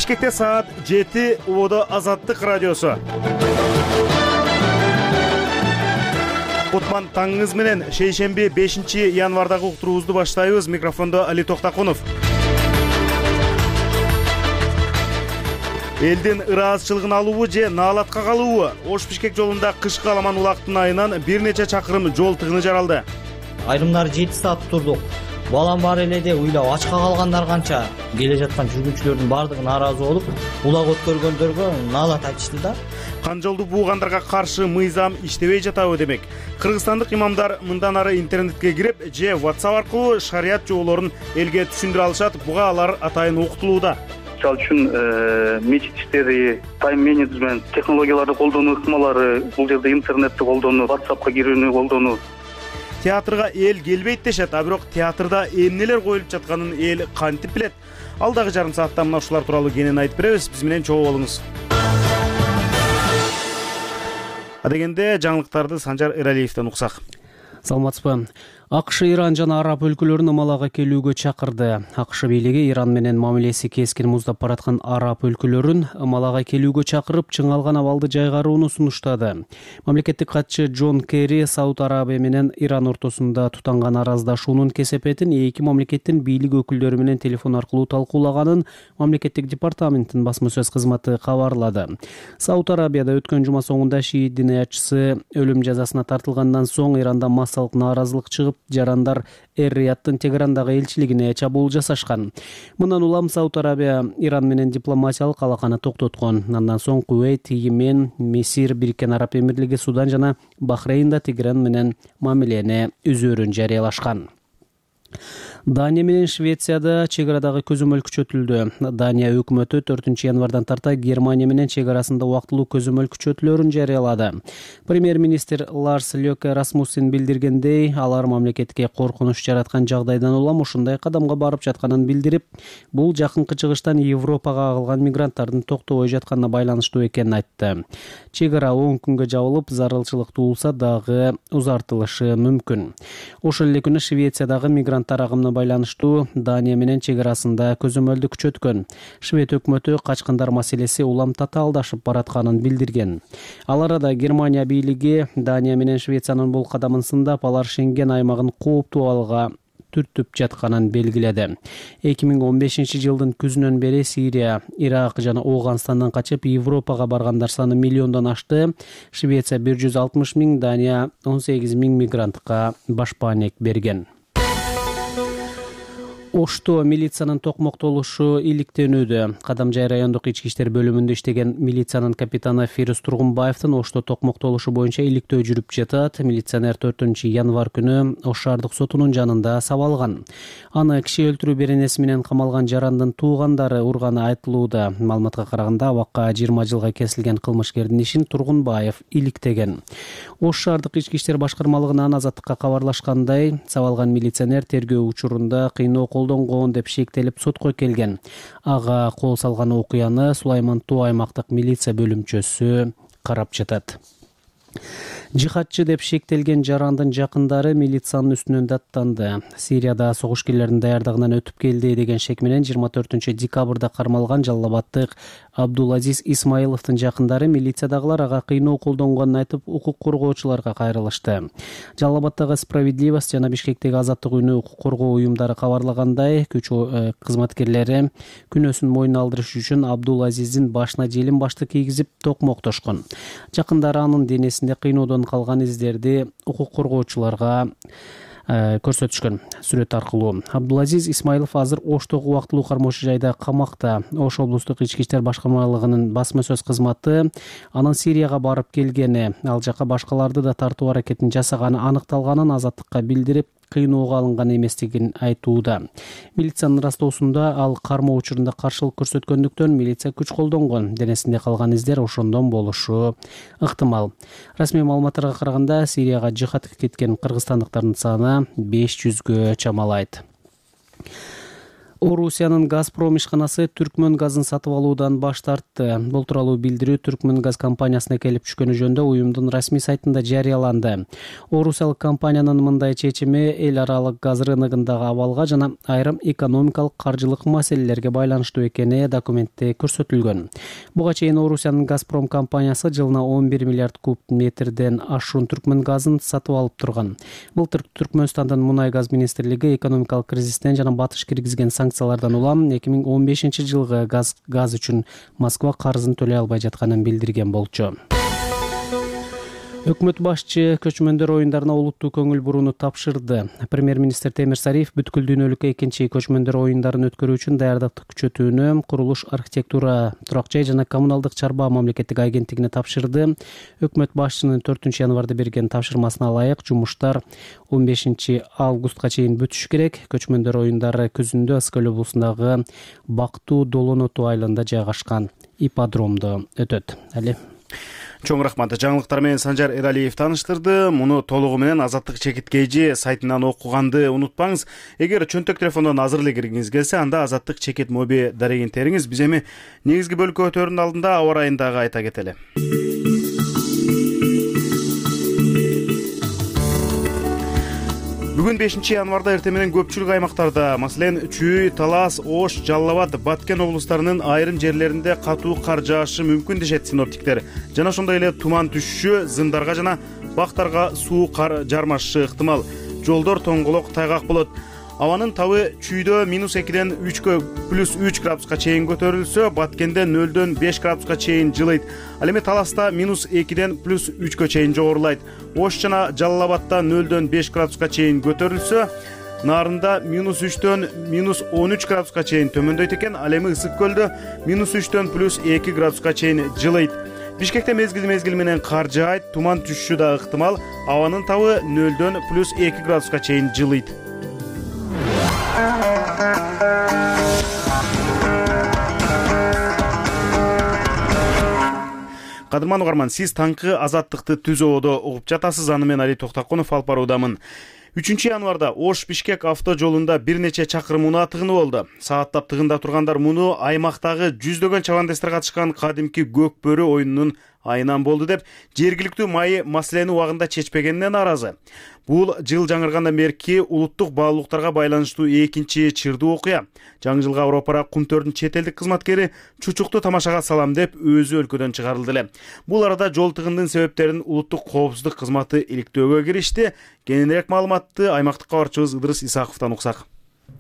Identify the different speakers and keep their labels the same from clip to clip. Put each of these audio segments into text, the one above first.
Speaker 1: Бишкекте саат 7, убодо Азаттык радиосу. Кутман таңыңыз менен шейшемби 5 январдагы уктуруубузду баштайбыз. Микрофондо Али Токтакунов. Элдин ыраазычылыгын алуубу же наалатка калуубу? Ош-Бишкек жолунда кышкы аламан улактын айынан бир нече чакырым жол тыгыны жаралды.
Speaker 2: Айрымдары 7 саат турдук. Балам бар эле деп уйлап ачка калгандар канча. Келе жаткан жүргүнчүлөрдүн бардыгы нааразы болуп, улак өткөргөндөргө наалат айтышты да.
Speaker 1: Канжолду буугандарга каршы мыйзам иштебей жатабы демек. Кыргызстандык имамдар мындан ары интернетке кирип же WhatsApp аркылуу шарият жоболорун элге түшүндүрө алышат. Буга алар атайын окутулууда.
Speaker 3: Мисалы үчүн мечит иштери, тайм-менеджмент, технологияларды колдонуу ыкмалары, бул жерде интернетти колдонуу, WhatsAppка кирүүнү колдонуу.
Speaker 1: Театрга эл келбейт дешет, а бирок театрда эмнелер коюлуп жатканын эл кантип билет? Алдагы жарым саатта мына ушулар тууралуу кенен айтып беребиз. Биз менен чогуу болуңуз. Адегенде жаңылыктарды Санжар Эралиевден уксак.
Speaker 4: Саламатсызбы. АКШ Иран жана араб өлкөлөрүн ымалага келүүгө чакырды. АКШ бийлиги Иран менен мамилеси кескин муздап бараткан араб өлкөлөрүн ымалага келүүгө чакырып, чыңалган абалды жайгарууну сунуштады. Мамлекеттик катчы Джон Керри Сауд Арабия менен Иран ортосунда тутанган араздашуунун кесепетин эки мамлекеттин бийлик өкүлдөрү менен телефон аркылуу талкуулаганын мамлекеттик департаменттин басма сөз кызматы кабарлады. Сауд Арабияда өткөн жума соңунда шиит диниячысы өлүм жазасына тартылгандан соң Иранда массалык нааразылык чыгып, жарандар Эр-Рияттын Тегерандагы элчилигине чабуул жасашкан. Мындан улам Сауд Арабия Иран менен дипломатиялык алаканы токтоткон. Андан соң Кувейт, Йемен, Мисир, Бириккен Араб Эмирлиги, Судан жана Бахрейнда Тегеран менен мамилени үзөөрүн жарыялашкан. Дания менен Швецияда чек арадагы көзөмөл күчөтүлдү. Дания өкмөтү 4 январдан тарта Германия менен чек арасында убактылуу көзөмөл күчөтүүлөрүн жарыялады. Премьер-министр Ларс Лёке Расмуссен билдиргендей, алар мамлекетке коркунуч жараткан жагдайдан улам ушундай кадамга барып жатканын билдирип, бул жакынкы чыгыштан Европага агылган мигранттардын токтобой жатканына байланыштуу экенин айтты. Чек ара 10 күнгө жабылып, зарылчылык туулса дагы узартылышы мүмкүн. Ошол эле күнү Швециядагы мигранттар агымына байланыштуу Дания менен чек арасында көзөмөлдү күчөткөн. Швед өкмөтү качкындар маселеси улам татаалдашып баратканын билдирген. Ал арада Германия бийлиги Дания менен Швециянын бул кадамын сындап, алар Шенген аймагын кооптуу абалга түртүп жатканын белгиледи. 2015 жылдын күзүнөн бери Сирия, Ирак жана Ооганстандан качып Европага баргандар саны миллиондон ашты. Швеция 160 000, Дания 18 000 мигрантка башпаанек берген. Ошто милициянын токмоктолушу иликтенүүдө. Кадамжай райондук ички иштер бөлүмүндө иштеген милициянын капитаны Фирус Тургунбаевдин Ошто токмоктолушу боюнча иликтөө жүрүп жатат. Милиционер 4 январ күнү Ош шаардык сотунун жанында сабалган. Аны киши өлтүрүү беренеси менен камалган жарандын туугандары урганы айтылууда. Маалыматка караганда, абакка 20 жылга кесилген кылмышкердин ишин Тургунбаев иликтеген. Ош шаардык ички иштер башкармалыгынан Азаттыкка кабарлашкандай, сабалган милиционер тергөө учурунда кыйноо колдонгон деп шектелип сотко келген. Ага кол салган окуяны Сулайман Тоо аймактык милиция бөлүмчөсү карап жатат. Жихадчы деп шектелген жарандын жакындары милициянын үстүнөн даттанды. Сирияда согушкерлердин даярдыгынан өтүп келди деген шек менен 24 декабрда кармалган Жалал Абадтык Абдулазиз Исмаиловдун жакындары милициядагылар ага кыйноо колдонгонун айтып, укук коргоочуларга кайрылышты. Жалал Абадтагы Справедливость жана Бишкектеги Азаттык үйүнү укук коргоо уюмдары кабарлагандай, күч кызматкерлери күнөөсүн мойнуна алдырыш үчүн Абдулазиздин башына желим башты кийгизип токмоктошкон. Жакындары анын денесинде кыйноодон калган издерди укук коргоочуларга көрсөтүшкөн сүрөт аркылуу. Абдулазиз Исмаилов азыр Оштогу убактылуу кармоочу жайда камакта. Ош облустук ички иштер башкармалыгынын басма сөз кызматы анын Сирияга барып келгени, ал жака башкаларды да тартуу аракетин жасаганы аныкталганын Азаттыкка билдирип, кыйноого алынган эместигин айтууда. Милициянын ырастоосунда ал кармоо учурунда каршылык көрсөткөндүктөн милиция күч колдонгон. Денесинде калган издер ошондон болушу ыктымал. Расмий маалыматтарга караганда, Сирияга жихадка кеткен кыргызстандыктардын саны 500гө чамалайт. Орусиянын Газпром ишканасы Түркмөн газын сатып алуудан баш тартты. Бул тууралуу билдирүү Түркмөн газ компаниясына келип түшкөнү жөнүндө уюмдун расмий сайтында жарыяланды. Орусиялык компаниянын мындай чечими эл аралык газ рыногундагы абалга жана айрым экономикалык каржылык маселелерге байланыштуу экени документте көрсөтүлгөн. Буга чейин Орусиянын Газпром компаниясы жылына 11 миллиард куб метрден ашуун Түркмөн газын сатып алып турган. Былтыр Түркмөнстандын мунай газ министрлиги экономикалык кризистен жана батыш киргизген санкциялардан улам 2015 жылгы газ үчүн Москва карызын төлөй албай жатканын билдирген болчу. Өкмөт башчы көчмөндөр оюндарына олуттуу көңүл бурууну тапшырды. Премьер-министр Темир Сариев бүткүл дүйнөлүк экинчи көчмөндөр оюндарын өткөрүү үчүн даярдыкты күчөтүүнү Курулуш, архитектура, турак жай жана коммуналдык чарба мамлекеттик агенттигине тапшырды. Өкмөт башчынын 4 январда берген тапшырмасына ылайык жумуштар 15 августка чейин бүтүшү керек. Көчмөндөр оюндары күзүндө Ыскөл облусундагы Бактуу Долоноту айылында жайгашкан ипподромдо өтөт.
Speaker 1: Чоң рахмат. Жаңылыктар менен Санжар Эралиев тааныштырды. Муну толугу менен Азаттык чекит.kg сайтынан окуганды унутпаңыз. Эгер чөнтөк телефондон азыр эле киргиңиз келсе, анда Азаттык чекит моби дарегин териңиз. Биз эми негизги бөлүккө өтөөрүнүн алдында аба ырайын дагы айта кетели. Бүгүн 5 январда эртең менен көпчүлүк аймактарда, маселен, Чүй, Талас, Ош, Жалал Абад, Баткен облустарынын айрым жерлеринде катуу кар жаашы мүмкүн дешет синоптиктер. Жана ошондой эле туман түшүшү, зымдарга жана бактарга суу кар жармашышы ыктымал. Жолдор тоңголок, тайгак болот. Абанын табы Чүйдө -2ден 3кө +3 градуска чейин көтөрүлсө, Баткенде 0дөн 5 градуска чейин жылыйт. Ал эми Таласта -2ден +3кө чейин жогорулайт. Ош жана Жалал Абадта 0дөн 5 градуска чейин көтөрүлсө, Нарында -3дөн -13 градуска чейин төмөндөйт экен. Ал эми Ысык көлдө -3дөн +2 градуска чейин жылыйт. Бишкекте мезгил менен кар жаайт, туман түшүшү да ыктымал. Абанын табы 0дөн +2 градуска чейин жылыйт. Кадырман угарман, сиз таңкы Азаттыкты Түз ободо угуп жатасыз. Аны мен Али Токтакунов алып баруудамын. 3 январда Ош-Бишкек авто жолунда бир нече чакырым унаа тыгыны болду. Сааттап тыгындап тургандар муну аймактагы жүздөгөн чабандестер катышкан кадимки көк бөрү оюнунун айынан болду деп, жергиликтүү майы маселени убагында чечпегенине нааразы. Бул жыл жаңыргандан берки улуттук баалуулуктарга байланыштуу экинчи чырдуу окуя. Жаңы жылга Европара Кумтөрдүн чет элдик кызматкери чучукту тамашага салам деп өзү өлкөдөн чыгарылды эле. Бул арада жол тыгындын себептерин улуттук коопсуздук кызматы иликтөөгө киришти. Кененирээк маалыматты аймактык кабарчыбыз Ыдырыс Исаковдон уксак.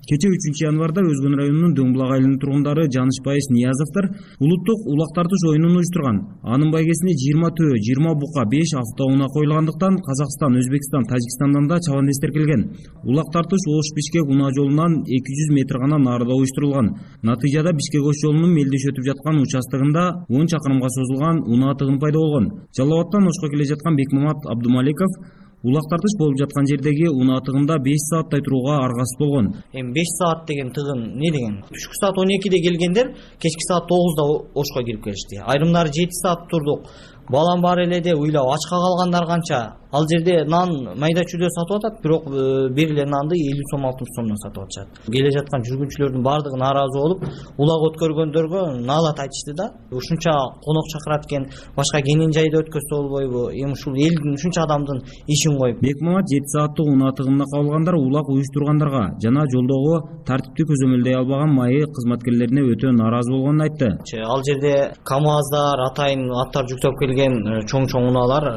Speaker 5: Кече 3 январда Өзгөн районунун Дөңбулак айылынын тургундары Жанышбайыш Ниязовдор улуттук улак тартыш оюнун уюштурган. Анын байгесине 20 төө, 20 бука, 5 автоунаа коюлгандыктан Казакстан, Өзбекстан, Тажикстандан да чабандестер келген. Улак тартыш Ош-Бишкек унаа жолунан 200 метр гана нарыда уюштурулган. Натыйжада Бишкек-Ош жолунун мелдеш өтүп жаткан участогунда 10 чакырымга созулган унаа тыгын пайда болгон. Жалал Абадтан Ошко келе жаткан Бекмамат Абдумаликов улак тартыш болуп жаткан жердеги унаа тыгында 5 сааттай турууга аргасыз болгон.
Speaker 2: Эми 5 саат деген тыгын не деген? Түшкү саат 12де келгендер кечки саат 9да Ошко кирип келишти. Айрымдары 7 саат турдук. Балам бар эле деп уйлап ачка калгандар канча. Ал жерде нан майда чүйдө сатып атат, бирок бир эле нанды 50 сом 60 сомдон сатып атышат. Келе жаткан жүргүнчүлөрдүн бардыгы нааразы болуп, улак өткөргөндөргө наалат айтышты да. Ушунча конок чакырат экен, башка кенен жайда өткөзсө болбойбу? Эми ушул элдин ушунча адамдын ишин коюп.
Speaker 5: Бекмамат 7 сааттык унаа тыгынына кабылгандар улак уюштургандарга жана жолдогу тартипти көзөмөлдөй албаган майы кызматкерлерине өтө нааразы болгонун айтты.
Speaker 2: Ал жерде КАМАЗдар, атайын аттар жүктөп келген чоң унаалар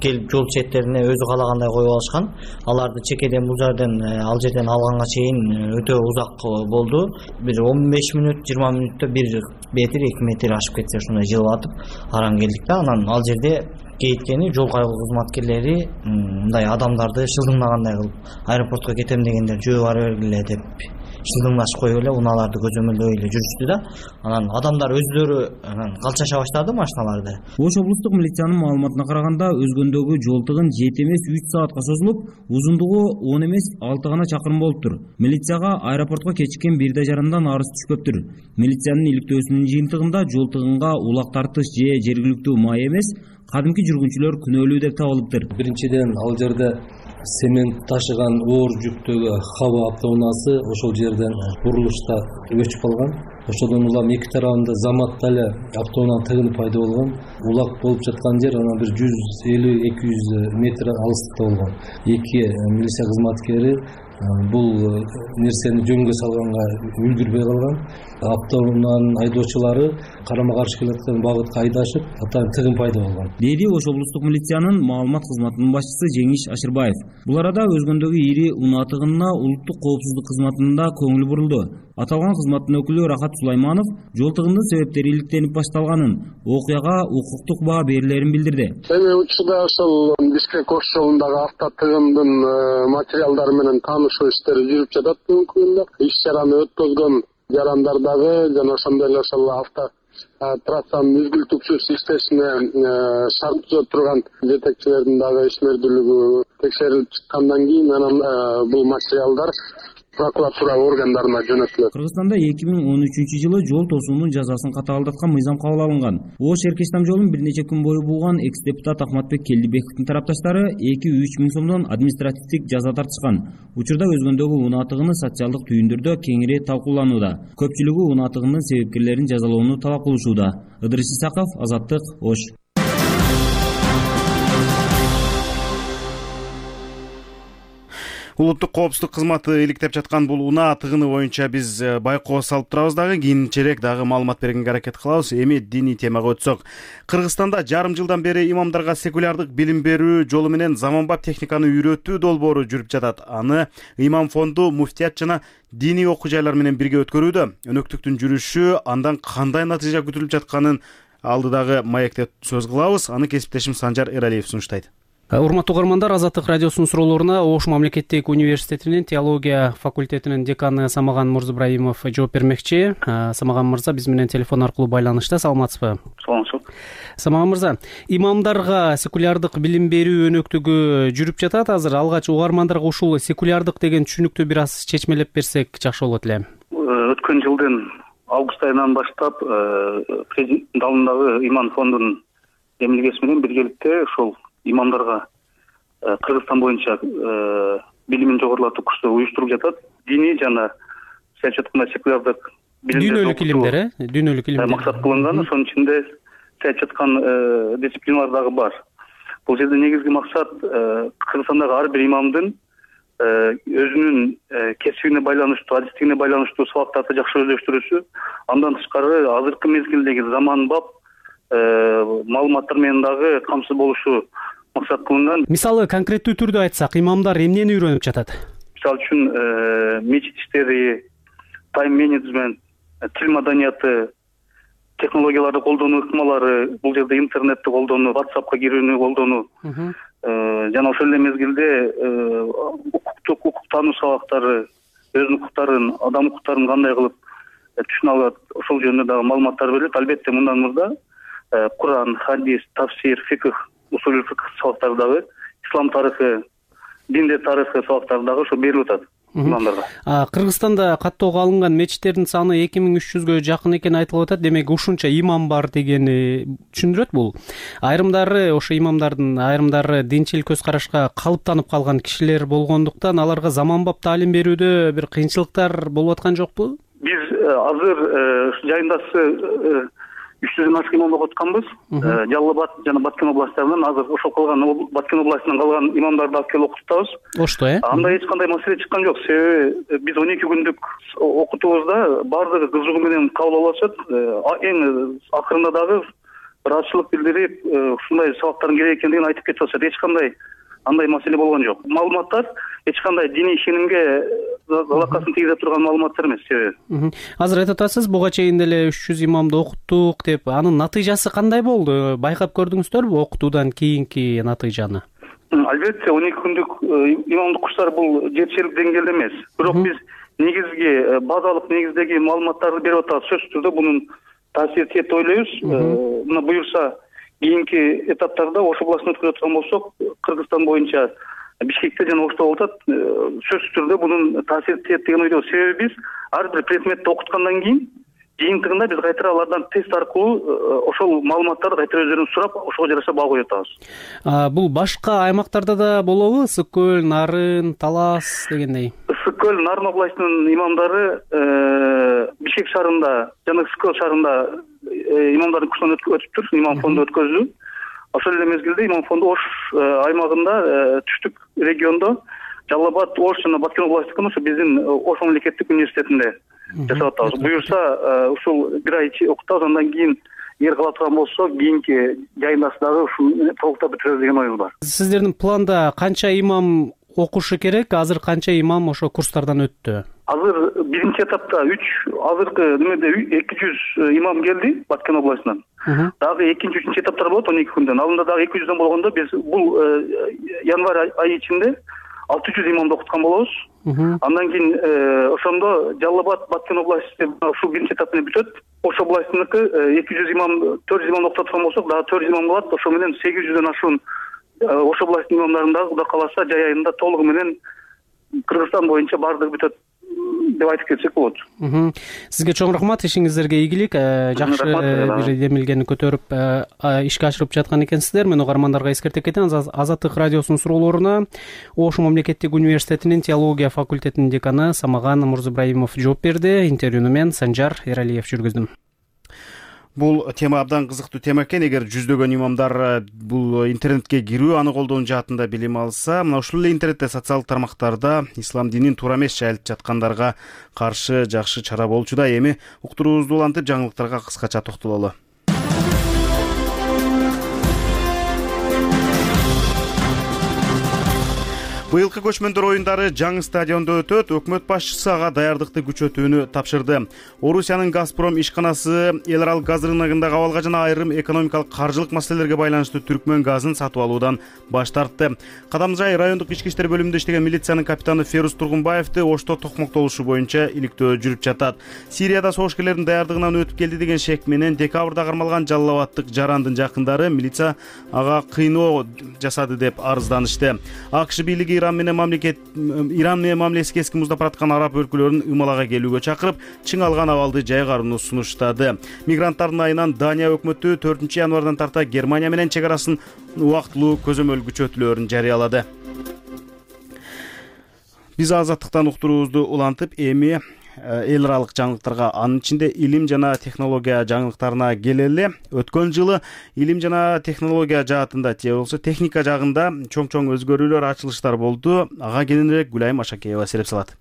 Speaker 2: келип жол четтерине өзү каалагандай коюп алышкан. Аларды чекеден бул жерден ал жерден алганга чейин өтө узак болду. Бир 15 мүнөт, 20 мүнөттө 1 метр, 2 метр ашып кетсе ушундай жылып атып аран келдик да. Анан ал жерде кейткени жол кайгуу кызматкерлери мындай адамдарды шылдыңдагандай кылып, аэропортко кетем дегендер жөө бара бергиле деп шылдыңдашып коюп эле унааларды көзөмөлдөй эле жүрүштү да. Анан адамдар өздөрү калчаша баштады машиналарды.
Speaker 5: Ош облустук милициянын маалыматына караганда өзгөндөгү жол тыгын 7 эмес 3 саатка созулуп, узундугу 10 эмес 6 гана чакырым болуптур. Милицияга аэропортко кечиккен 1 жарымдан арыз түшкөптүр. Милициянын иликтөөсүнүн жыйынтыгында жол тыгынга улак тартыш же жергиликтүү май эмес, кадимки жүргүнчүлөр күнөөлүү деп табылыптыр.
Speaker 6: Биринчиден, ал жерде цемент ташыган оор жүктөгү хаба автоунаасы ошол жерден бурулушта өчүп калган. Ошодон улам эки тарабында заматта эле автоунаанын тыгыны пайда болгон. Улак болуп жаткан жер анан бир 150-200 метр алыстыкта болгон. Эки милиция кызматкери бул нерсени жөнгө салганга үлгүрбөй калган. Автоунаанын айдоочулары карама каршы келаткан багытка айдашып, атайын тыгын пайда болгон,
Speaker 5: деди Ош облустук милициянын маалымат кызматынын башчысы Жеңиш Ашырбаев. Бул арада өзгөндөгү ири унаа тыгынына улуттук коопсуздук кызматынын да көңүлү бурулду. Аталган кызматтын өкүлү Рахат Сулайманов жол тыгынынын себептери иликтенип башталганын, окуяга укуктук баа берилерин билдирди.
Speaker 7: Эми учурда ошол Бишкек-Ош жолундагы автотыгындын материалдары менен таанышуу иштери жүрүп жатат бүгүнкү күндө. Иш чараны өткөзгөн жарандардагы жана ошондой эле ошол трассанын үзгүл-түксүз иштешине шарт түзөп турган жетекчилердин дагы ишмердүүлүгү текшерилип чыккандан кийин анан бул материалдар прокуратура органдарына жөнөтүлөт.
Speaker 5: Кыргызстанда 2013 жол тосуунун жазасын катаалдаткан мыйзам кабыл алынган. Ош Эркеш там жолун бир нече күн бою булган экс-депутат Ахматбек Келдибековдун тарапташтары 2-3 миң сомдон административдик жаза тартышкан. Учурда өзгөндөгү унаа тыгыны социалдык түйүндөрдө кеңири талкууланууда. Көпчүлүгү унаа тыгынынын себепкерлерин жазалоону талап кылышууда. Ыдырыс Исаков, Азаттык, Ош.
Speaker 1: Улуттук коопсуздук кызматы иликтеп жаткан бул унаа тыгыны боюнча биз байкоо салып турабыз дагы, кийинчерээк дагы маалымат бергенге аракет кылабыз. Эми диний темага өтсөк. Кыргызстанда жарым жылдан бери имамдарга секулярдык билим берүү жолу менен заманбап техниканы үйрөтүү долбоору жүрүп жатат. Аны Имам фонду, муфтият жана диний окуу жайлар менен бирге өткөрүүдө. Өнөктүктүн жүрүшү, андан кандай натыйжа күтүлүп жатканын алдыдагы маекте сөз кылабыз. Аны кесиптешим Санжар Эралиев сунуштайт.
Speaker 4: Урматтуу угармандар, Азаттык радиосунун суроолоруна Ош мамлекеттик университетинин теология факультетинин деканы Самаган Мурзыбраимов жооп бермекчи. Самаган мырза биз менен телефон аркылуу байланышта. Саламатсызбы?
Speaker 3: Саламатсыз.
Speaker 4: Самаган мырза, имамдарга секулярдык билим берүү өнөктүгү жүрүп жатат азыр. Алгач угармандарга ушул секулярдык деген түшүнүктү бир аз чечмелеп берсек жакшы болот эле.
Speaker 3: Өткөн жылдын август айынан баштап президент алдындагы Имам фондунун эмилгеси менен биргеликте ошол имамдарга Кыргызстан боюнча билимин жогорулатуу курсу уюштуруп жатат. Диний жана саясий айтканда секулярдык
Speaker 4: дүйнөлүк илимдер, дүйнөлүк илимдер
Speaker 3: максат кылынган. Ошонун ичинде саясий айткан дисциплиналар дагы бар. Бул жерде негизги максат Кыргызстандагы ар бир имамдын өзүнүн кесибине байланыштуу, адистигине байланыштуу сабактарды жакшы өздөштүрүүсү. Андан тышкары азыркы мезгилдеги заманбап маалыматтар менен дагы камсыз болушу максат кылынган.
Speaker 4: Мисалы конкреттүү түрдө айтсак, имамдар эмнени үйрөнүп жатат?
Speaker 3: Мисалы үчүн мечит иштери, тайм менеджмент, тил маданияты, технологияларды колдонуу ыкмалары, бул жерде интернетти колдонуу, WhatsAppка кирүүнү колдонуу, жана ошол эле мезгилде укук таануу сабактары, өзүнүн укуктарын, адам укуктарын кандай кылып түшүнө алат, ошол жөнүндө дагы маалыматтар берилет. Албетте мындан мурда Куран, хадис, тафсир, фикх, усулул фикх сабактары дагы, ислам тарыхы, диндер тарыхы сабактары дагы ошо берилип атат имамдарга.
Speaker 4: Кыргызстанда каттоого алынган мечиттердин саны 2300гө жакын экени айтылып атат. Демек ушунча имам бар дегени түшүндүрөт бул. Айрымдары, ошо имамдардын айрымдары динчил көз карашка калыптанып калган кишилер болгондуктан аларга заманбап таалим берүүдө бир кыйынчылыктар болуп аткан жокпу?
Speaker 3: Биз азыр жайындасы 300дөн ашык имам окуп атканбыз. Жалал Абад жана Баткен областтарынан азыр ошол калган Баткен областынан калган имамдарды алып келип окутабыз. Ошто, анда эч кандай маселе чыккан жок. Себеби биз 12 күндүк окутуубузда баардыгы кызыгуу менен кабыл алып атышат. Эң акырында дагы бир азчылык билдирип, ушундай сабактардын керек экендигин айтып кетип атышат. Эч кандай андай маселе болгон жок. Маалыматтар эч кандай диний ишенимге залакасын тийгизе турган маалыматтар эмес. Себеби
Speaker 4: азыр айтып атасыз, буга чейин деле 300 имамды окуттук деп, анын натыйжасы кандай болду? Байкап көрдүңүздөрбү окутуудан кийинки натыйжаны?
Speaker 3: Албетте 12 күндүк имамдык курстар бул жетишерлик деңгээлде эмес. Бирок биз негизги базалык негиздеги маалыматтарды берип атабыз. Сөзсүз түрдө бунун таасири тиет деп ойлойбуз. Мына буюрса кийинки этаптарда Ош областын өткөрө турган болсок, Кыргызстан боюнча Бишкекте жана Ошто болуп атат. Сөзсүз түрдө бунун таасири тиет деген ойдобуз. Себеби биз ар бир предметти окуткандан кийин жыйынтыгында биз кайтара алардан тест аркылуу ошол маалыматтарды кайтара өздөрүнөн сурап ошого жараша баа коюп атабыз.
Speaker 4: Бул башка аймактарда да болобу? Ысык көл, Нарын, Талас дегендей.
Speaker 3: Ысык көл, Нарын областынын имамдары Бишкек шаарында жана Ысык көл шаарында имамдардын курсунан өтүптүр, имам фонду өткөздү. Ошол эле мезгилде имам фонду Ош аймагында түштүк региондо Жалал-Абад, Ош жана Баткен областтыкын ошо биздин Ош мамлекеттик университетинде жасап атабыз. Буюрса ушул бир ай ичи окутабыз, андан кийин эгер кала турган болсо кийинки жайындасы дагы ушул толуктап бүтүрөбүз деген оюбуз бар.
Speaker 4: Сиздердин планда канча имам окушу керек? Азыр канча имам ошо курстардан өттү?
Speaker 3: Азыр биринчи этапта азыркы немеде 200 имам келди Баткен областынан. Дагы экинчи, үчүнчү этаптар болот 12 күндөн. Алдында дагы 200дөн болгондо биз бул январь айы ичинде 600 имамды окуткан болобуз. Андан кийин ошондо Жалал-Абад, Баткен областы ушул биринчи этап менен бүтөт. Ош областыныкы 200 имам, 400 имам окута турган болсок, дагы 400 имам болот. Ошо менен 800дөн ашуун Ош областынын имамдарын дагы Кудай кааласа жай айында толугу менен Кыргызстан боюнча баардыгы бүтөт деп айтып кетсек болот.
Speaker 4: Сизге чоң рахмат, ишиңиздерге ийгилик. Жакшы бир демилгени көтөрүп ишке ашырып жаткан экенсиздер. Мен угармандарга эскертип кетем. Азаттык радиосунун суроолоруна Ош мамлекеттик университетинин теология факультетинин деканы Самаган Мурзыбраимов жооп берди. Интервьюну мен Санжар Эралиев жүргүздүм.
Speaker 1: Бул тема абдан кызыктуу тема экен. Эгер жүздөгөн имамдар бул интернетке кирүү, аны колдонуу жаатында билим алса, мына ушул эле интернетте, социалдык тармактарда ислам динин туура эмес жайылып жаткандарга каршы жакшы чара болчу да. Эми уктуруубузду улантып, жаңылыктарга кыскача токтололу. Быйылкы көчмөндөр оюндары жаңы стадиондо өтөт. Өкмөт башчысы ага даярдыкты күчөтүүнү тапшырды. Орусиянын Газпром ишканасы эл аралык газ рыногундагы абалга жана айрым экономикалык каржылык маселелерге байланыштуу Түркмөн газын сатып алуудан баш тартты. Кадамжай райондук ички иштер бөлүмүндө иштеген милициянын капитаны Ферус Тургунбаевди Ошто токмоктолушу боюнча иликтөө жүрүп жатат. Сирияда согушкерлердин даярдыгынан өтүп келди деген шек менен декабрда кармалган Жалал-Абадтык Жарандын жакындары милиция ага кыйноо жасады деп арызданышты. АКШ бийлиги Иран менен мамилеси кескин муздап бараткан араб өлкөлөрүн ымалага келүүгө чакырып, чың алган абалды жайгарууну сунуштады. Мигранттардын айынан Дания өкмөтү 4 январдан тарта Германия менен чек арасын убактылуу көзөмөл күчөтүүлөрүн жарыялады. Биз азаттыктан уктуруубузду улантып, эми эл аралык жаңылыктарга, анын ичинде илим жана технология жаңылыктарына келели. Өткөн жылы илим жана технология жаатында, же болбосо техника жагында чоң өзгөрүүлөр, ачылыштар болду. Ага кененирээк Гүлайым Ашакеева сереп салат.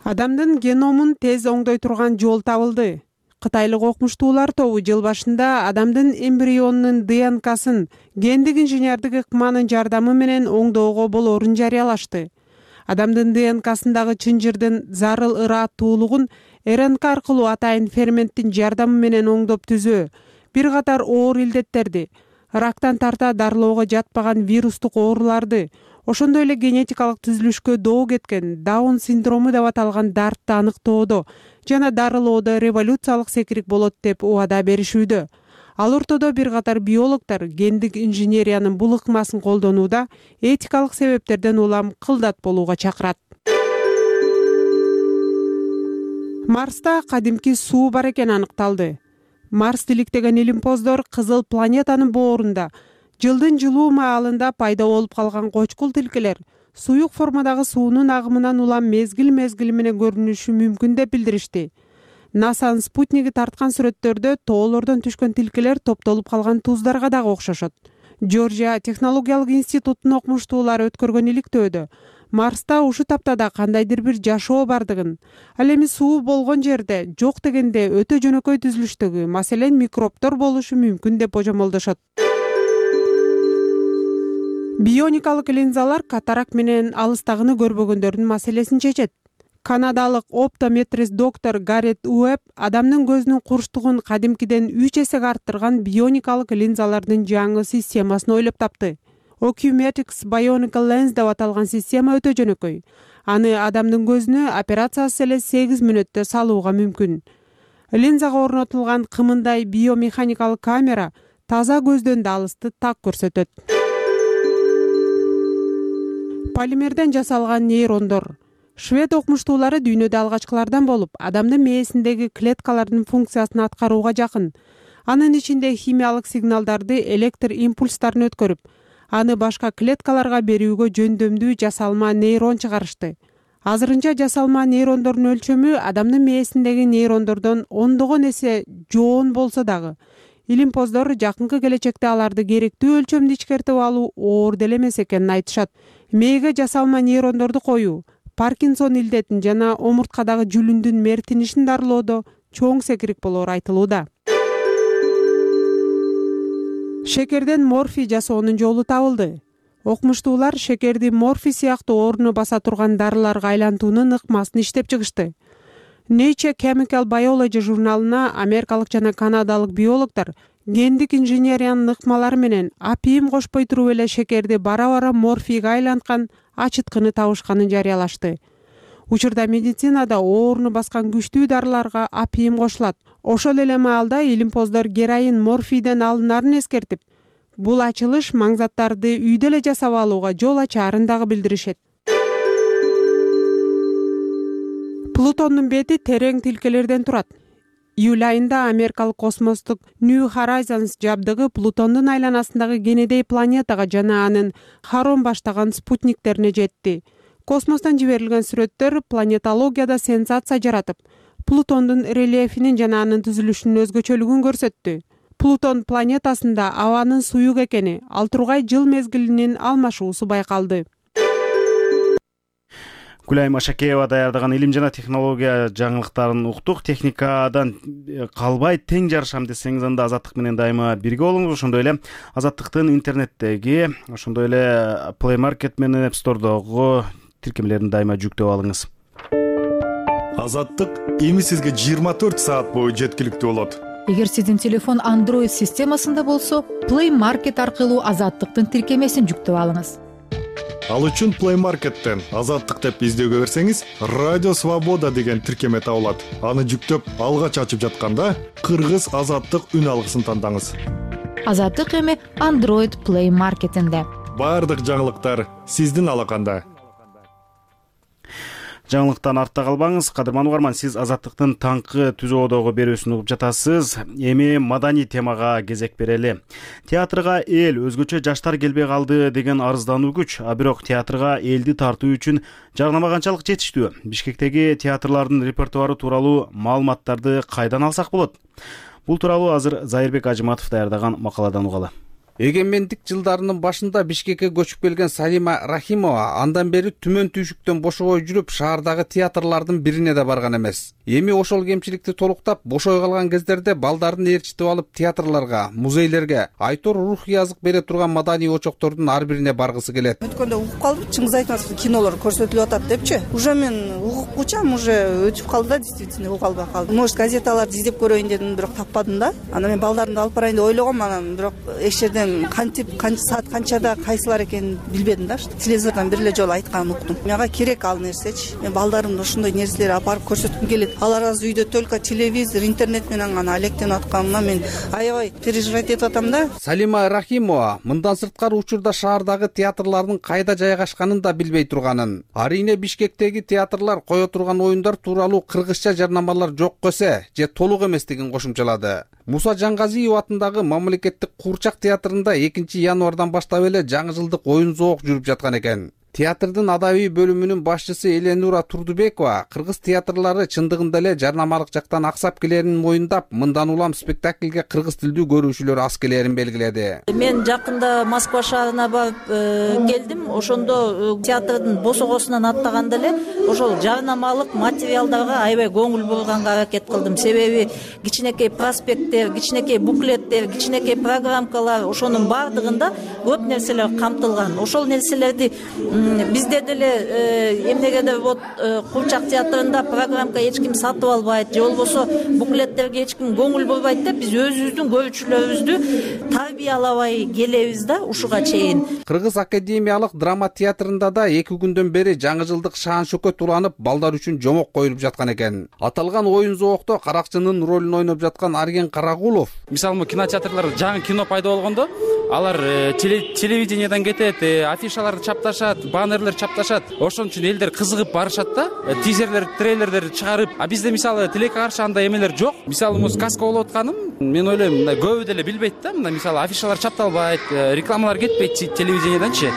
Speaker 8: Адамдын геномун тез оңдой турган жол табылды. Кытайлык окумуштуулар тобу жыл башында адамдын эмбрионунун ДНКсын гендик инженердик ыкманын жардамы менен оңдоого болоорун жарыялашты. Адамдын ДНКсындагы чынжырдын зарыл ырааттуулугун РНК аркылуу атайын ферменттин жардамы менен оңдоп түзөө бир катар оор илдеттерди, рактан тарта дарылоого жатпаган вирустук ооруларды, ошондой эле генетикалык түзүлүшкө доо кеткен Даун синдрому деп аталган дартты аныктоодо жана дарылоодо революциялык секирик болот деп убада беришүүдө. Ал ортодо бир катар биологдор гендик инженериянын бул ыкмасын колдонууда этикалык себептерден улам кылдат болууга чакырат. Марста кадимки суу бар экени аныкталды. Марс иликтеген илимпоздор кызыл планетанын боорунда жылдын жылуу маалында пайда болуп калган кочкул тилкелер суюк формадагы суунун агымынан улам мезгил менен көрүнүшү мүмкүн деп билдиришти. НАСАнын спутниги тарткан сүрөттөрдө тоолордон түшкөн тилкелер топтолуп калган туздарга дагы окшошот. Жоржия технологиялык институтунун окумуштуулары өткөргөн иликтөөдө Марста ушу таптада кандайдыр бир жашоо бардыгын, ал эми суу болгон жерде жок дегенде өтө жөнөкөй түзүлүштөгү, маселен микробтор болушу мүмкүн деп божомолдошот. Бионикалык линзалар катарак менен алыстагыны көрбөгөндөрдүн маселесин чечет. Канадалык оптометрист доктор Гаррет Уэбб адамдын көзүнүн курчтугун кадимкиден 3 эсеге арттырган бионикалык линзалардын жаңы системасын ойлоп тапты. Ocumetrics Bionical Lens деп аталган система өтө жөнөкөй. Аны адамдын көзүнө операциясыз эле 8 мүнөттө салууга мүмкүн. Линзага орнотулган кымындай биомеханикалык камера таза көздөн да алысты так көрсөтөт. Полимерден жасалган нейрондор. Швед окумуштуулары дүйнөдө алгачкылардан болуп, адамдын мээсиндеги клеткалардын функциясын аткарууга жакын. Анын ичинде химиялык сигналдарды электр импульстарын өткөрүп, аны башка клеткаларга берүүгө жөндөмдүү жасалма нейрон чыгарышты. Азырынча жасалма нейрондордун өлчөмү адамдын мээсиндеги нейрондордон ондогон эсе жоон болсо дагы, илимпоздор жакынкы келечекте аларды керектүү өлчөмдү ичкертип алуу оор деле эмес экенин айтышат. Мээге жасалма нейрондорду коюу Паркинсон илдетин жана омурткадагы жүлүндүн мертинишин дарылоодо чоң секирик болоору айтылууда. Шекерден морфий жасоонун жолу табылды. Окумуштуулар шекерди морфий сыяктуу орну баса турган дарыларга айлантуунун ыкмасын иштеп чыгышты. Nature Chemical Biology журналына америкалык жана канадалык биологдор гендик инженериянын ыкмалары менен апийим кошпой туруп эле шекерди бара-бара морфийге айланткан ачыткыны табышканын жарыялашты. Учурда медицинада оорну баскан күчтүү дарыларга апийим кошулат. Ошол эле маалда илимпоздор героин морфийден алынарын эскертип, бул ачылыш маңзаттарды үйдө эле жасап алууга жол ачаарын дагы билдиришет. Плутондун бети терең тилкелерден турат. Июль айында америкалык космостук New Horizons жабдыгы Плутондун айланасындагы Кенедей планетага жана анын Харон баштаган спутниктерине жетти. Космостон жиберилген сүрөттөр планетологияда сенсация жаратып, Плутондун рельефинин жана анын түзүлүшүнүн өзгөчөлүгүн көрсөттү. Плутон планетасында абанын суюк экени, ал тургай жыл мезгилинин алмашуусу байкалды.
Speaker 1: Гүлайым Ашакеева даярдаган илим жана технология жаңылыктарын уктук. Техникадан калбай тең жарышам десеңиз, анда Азаттык менен дайыма бирге болуңуз. Ошондой эле Азаттыктын интернеттеги, ошондой эле Play Market менен App Store'догу тиркемелерин дайыма жүктөп алыңыз.
Speaker 9: Азаттык эми сизге 24 саат бою жеткиликтүү болот.
Speaker 10: Эгер сиздин телефон Android системасында болсо, Play Market аркылуу Азаттыктын тиркемесин жүктөп алыңыз.
Speaker 9: Ал үчүн Play Market'тен Азаттык деп издөөгө берсеңиз, Радио Свобода деген тиркеме табылат. Аны жүктөп, алгач ачып жатканда Кыргыз Азаттык үн алгысын тандаңыз.
Speaker 10: Азаттык эми Android Play Market'инде.
Speaker 9: Бардык жаңылыктар сиздин алаканда.
Speaker 1: Жаңылыктан артта калбаңыз. Кадырман угарман, сиз Азаттыктын таңкы түзөөдөгү берүүсүн угуп жатасыз. Эми маданий темага кезек берели. Театрга эл, өзгөчө жаштар келбей калды деген арыздануу күч. А бирок театрга элди тартуу үчүн жарнама канчалык жетиштүү? Бишкектеги театрлардын репертуары тууралуу маалыматтарды кайдан алсак болот? Бул тууралуу азыр Зайырбек Ажыматов даярдаган макаладан угалы.
Speaker 11: Эгемендик жылдарынын башында Бишкекке көчүп келген Салима Рахимова андан бери түмөн түйшүктөн бошобой жүрүп, шаардагы театрлардын бирине да барган эмес. Эми ошол кемчиликти толуктап, бошой калган кездерде балдарын ээрчитип алып театрларга, музейлерге, айтор рух язык бере турган маданий очоктордун ар бирине баргысы келет.
Speaker 12: Өткөндө угуп калдым, чыңгыз айтмасыз, кинолор көрсөтүлүп атат депчи. Уже мен угукчам, уже өтүп калды да, действительно угуп калбай калдым. Может, газеталарды издеп көрөйүн дедим, бирок таппадым да. Анан мен балдарымды алып барайын деп ойлогом, анан бирок эч жерден кантип, канча саат канчада кайсылар экенин билбедим да. Телевизордон бир эле жолу айтканын уктум. Мага керек ал нерсечи. Мен балдарымды ошондой нерселерди алып барып көрсөткүм келет. Алар азыр үйдө только телевизор, интернет менен гана алектенип атканына мен аябай переживать этип атам да.
Speaker 11: Салима Рахимова мындан сырткары учурда шаардагы театрлардын кайда жайгашканын да билбей турганын. Арийне Бишкектеги театрлар кое турган оюндар тууралуу кыргызча жарнамалар жок көсө же толук эместигин кошумчалады. Муса Жаңгазиев атындагы мамлекеттик Куурчак театрында 2 январдан баштап эле жаңы жылдык оюн зоок жүрүп жаткан экен. Театрдын адабий бөлүмүнүн башчысы Эленура Турдубекова кыргыз театрлары чындыгында эле жарнамалык жактан аксап келерин моюндап, мындан улам спектакльге кыргыз тилдүү көрүүчүлөр аз келерин белгиледи.
Speaker 13: Мен жакында Москва шаарына барып келдим. Ошондо театрдын босогосунан аттаганда эле ошол жарнамалык материалдарга аябай көңүл бурганга аракет кылдым. Себеби кичинекей проспекттер, кичинекей буклеттер, кичинекей программкалар, ошонун бардыгында көп нерселер камтылган. Ошол нерселерди бизде деле эмнегедир вот Куурчак театрында программка эч ким сатып албайт, же болбосо буклеттерге эч ким көңүл бурбайт деп биз өзүбүздүн көрүүчүлөрүбүздү тарбиялабай келебиз да ушуга чейин.
Speaker 11: Кыргыз академиялык драма театрында да 2 күндөн бери жаңы жылдык шаан шөкөт уланып, балдар үчүн жомок коюлуп жаткан экен. Аталган оюн зоокто каракчынын ролун ойноп жаткан Арген Карагулов:
Speaker 14: мисалы кинотеатрларда жаңы кино пайда болгондо
Speaker 11: алар телевидениядан кетет, афишаларды чапташат, баннерлер чапташат. Ошон үчүн элдер кызыгып барышат да, тизерлер, трейлерлерди чыгарып. А бизде мисалы тилекке каршы андай эмелер жок. Мисалы муз сказка болуп атканым, мен ойлойм, мындай көбү деле билбейт да. Мындай мисалы афишалар чапталбайт, рекламалар кетпейт телевиденияданчы.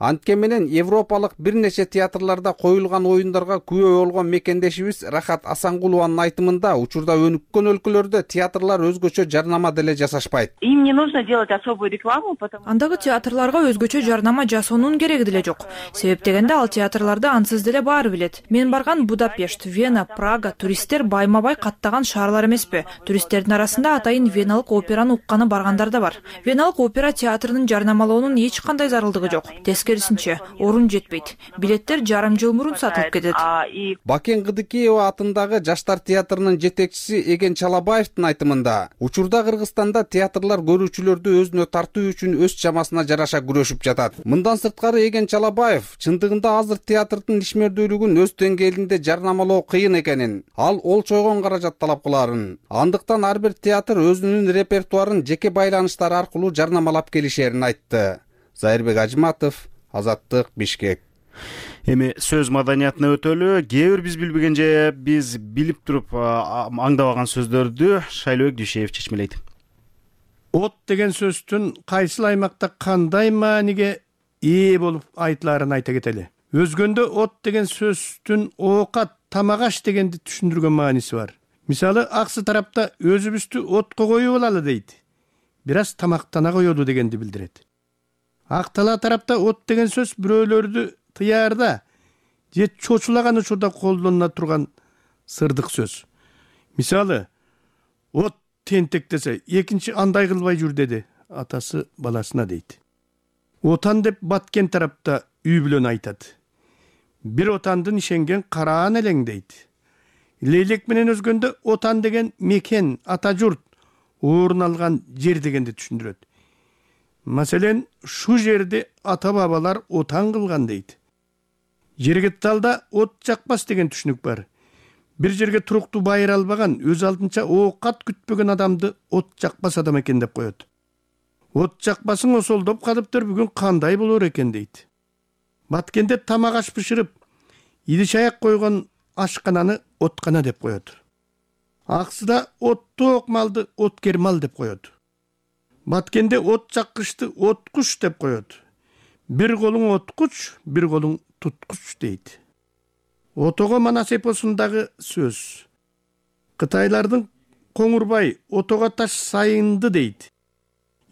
Speaker 11: Анткен менен европалык бир нече театрларда коюлган оюндарга күбө болгон мекендешибиз Рахат Асангулованын айтымында учурда өнүккөн өлкөлөрдө театрлар өзгөчө жарнама деле жасашпайт.
Speaker 14: Им не нужно делать особую рекламу, потому
Speaker 15: андагы театрларга өзгөчө жарнама жасоонун кереги деле жок. Себеп дегенде ал театрларды ансыз деле баары билет. Мен барган Будапешт, Вена, Прага туристтер байма-бай каттаган шаарлар эмеспи. Туристтердин арасында атайын веналык операны укканы баргандар да бар. Веналык опера театрынын жарнамалоонун эч кандай зарылдыгы жок. Тескерисинче, орун жетпейт. Билеттер жарым жыл мурун сатылып кетет.
Speaker 11: Бакен Кыдыкеева атындагы Жаштар театрынын жетекчиси Эген Чалабаевдин айтымында, учурда Кыргызстанда театрлар көрүүчүлөрдү өзүнө тартуу үчүн өз чамасына жараша күрөшүп жатат. Мындан сырткары Эген Чалабаев чындыгында азыр театрдын ишмердүүлүгүн өз деңгээлинде жарнамалоо кыйын экенин, ал олчойгон каражат талап кыларын. Андыктан ар бир театр өзүнүн репертуарын жеке байланыштар аркылуу жарнамалап келишерин айтты. Зайырбек Ажматов, Азаттык, Бишкек.
Speaker 1: Эми сөз маданиятына өтөлү. Кээ бир биз билбеген же биз билип туруп аңдабаган сөздөрдү Шайлообек Дүйшеев чечмелейт.
Speaker 16: От деген сөздүн кайсыл аймакта кандай мааниге ээ болуп айтыларын айта кетели. Өзгөндө от деген сөздүн оокат, тамак-аш дегенди түшүндүргөн мааниси бар. Мисалы, аксы тарапта өзүбүздү отко коюп алалы дейт. Бир аз тамактана коелу дегенди билдирет. Актала тарапта от деген сөз бирөөлөрдү тыярда же чочулаган учурда колдонула турган сырдык сөз. Мисалы, от тентек десе, экинчи андай кылбай жүр деди атасы баласына дейт. Отан деп баткен тарапта үй бүлөнү айтат. Бир отандын ишенген караан элең дейт. Лейлек менен өзгөндө отан деген мекен, ата журт, орун алган жер дегенди түшүндүрөт. Маселен, шу жерди ата-бабалар отан кылган дейт. Жергетталда от жакпас деген түшүнүк бар. Бир жерге туруктуу байыра албаган, өз алдынча оокат күтпөгөн адамды от жакпас адам экен деп коет. От жакпасың осолдоп калыптыр, бүгүн кандай болор экен дейт. Баткенде тамак аш бышырып, идиш аяк койгон ашкананы откана деп коет. Аксыда оттоок малды откер мал деп коет. Баткенде от жаккычты откуч деп коет. Бир колуң откуч, бир колуң туткуч дейт. Отого манас эпосундагы сөз. Кытайлардын Коңурбай отого таш сайынды дейт.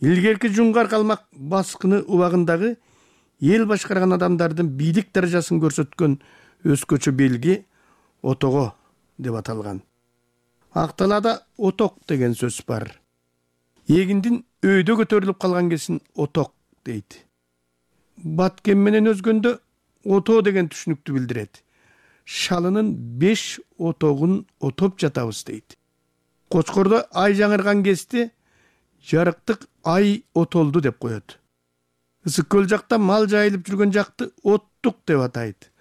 Speaker 16: Илгерки жуңгар калмак баскыны убагындагы эл башкарган адамдардын бийлик даражасын көрсөткөн өзгөчө белги отого деп аталган. Акталада оток деген сөз бар. Эгиндин өйдө көтөрүлүп калган кесин оток дейт. Баткен менен өзгөндө ото деген түшүнүктү билдирет. Шалынын 5 отогун отоп жатабыз дейт. Кочкордо ай жаңырган кезде жарыктык ай отолду деп коет. Ысык көл жакта мал жайылып жүргөн жакты оттук деп атайт.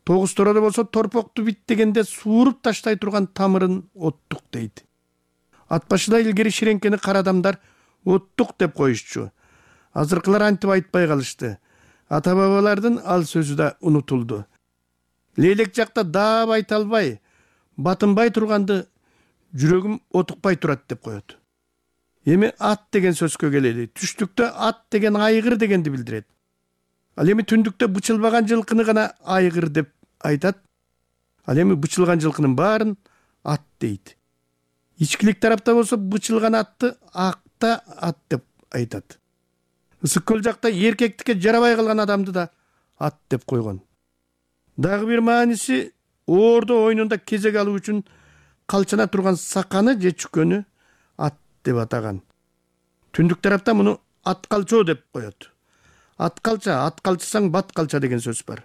Speaker 16: Тогуз тороодо болсо торпокту бит дегенде сууруп таштай турган тамырын оттук дейт. Ат башыда илгери ширеңкени кара адамдар оттук деп коюшчу. Азыркылар антип айтпай калышты. Ата-бабалардын ал сөзү да унутулду. Лейлек жакта даап айта албай, батынбай турганды жүрөгүм отукпай турат деп коет. Эми ат деген сөзгө келели. Түштүктө ат деген айгыр дегенди билдирет. Ал эми түндүктө бычылбаган жылкыны гана айгыр деп айтат. Ал эми бычылган жылкынын баарын ат дейт. Ичкилик тарапта болсо бычылган атты акта ат деп айтат. Ысык көл жакта эркектикке жарабай калган адамды да ат деп койгон. Дагы бир мааниси оордо ойнунда кезек алуу үчүн калчана турган саканы же чүкөнү ат деп атаган. Түндүк тарапта муну ат калчоо деп коет. Ат калчысаң бат калча деген сөз бар.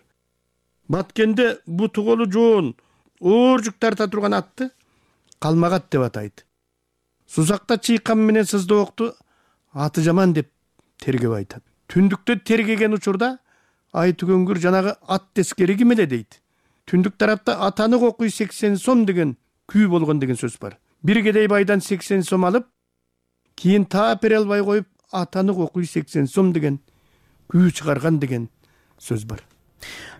Speaker 16: Баткенде буту колу жоон, оор жүк тарта турган атты калмагат деп атайт. Сузакта чыйкам менен сыздоокту аты жаман деп тергеп айтат. Түндүктө тергеген учурда ай түгөнгүр жанагы ат тескери ким эле дейт. Түндүк тарапта атаны кокуй 80 сом деген күй болгон деген сөз бар. Бир кедей байдан 80 сом алып, кийин таап бере албай коюп атаны окуй 80 сом деген күү чыгарган деген сөз бар.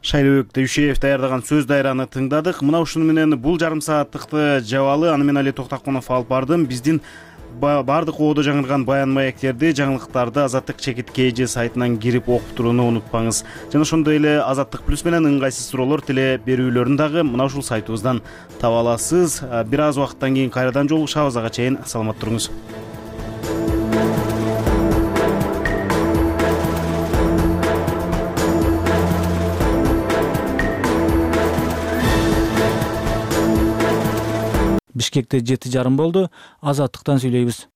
Speaker 1: Шайлыбек Дөйшеев даярдаган сөз дайраны тыңдадык. Мына ушуну менен бул жарым сааттыкты жабалы. Аны мен Али Токтакунов алып бардым. Биздин бардык оодо жаңырган баян маектерди, жаңылыктарды Азаттык чекит KG сайтынан кирип окуп турууну унутпаңыз. Жана ошондой эле Азаттык плюс менен ыңгайсыз суроолор теле берүүлөрүн дагы мына ушул сайтыбыздан таба аласыз. Бир аз убакыттан кийин кайрадан жолугушабыз. Ага чейин саламат туруңуз.
Speaker 17: Бишкекте 7:30 болду. Азаттыктан сүйлөйбүз.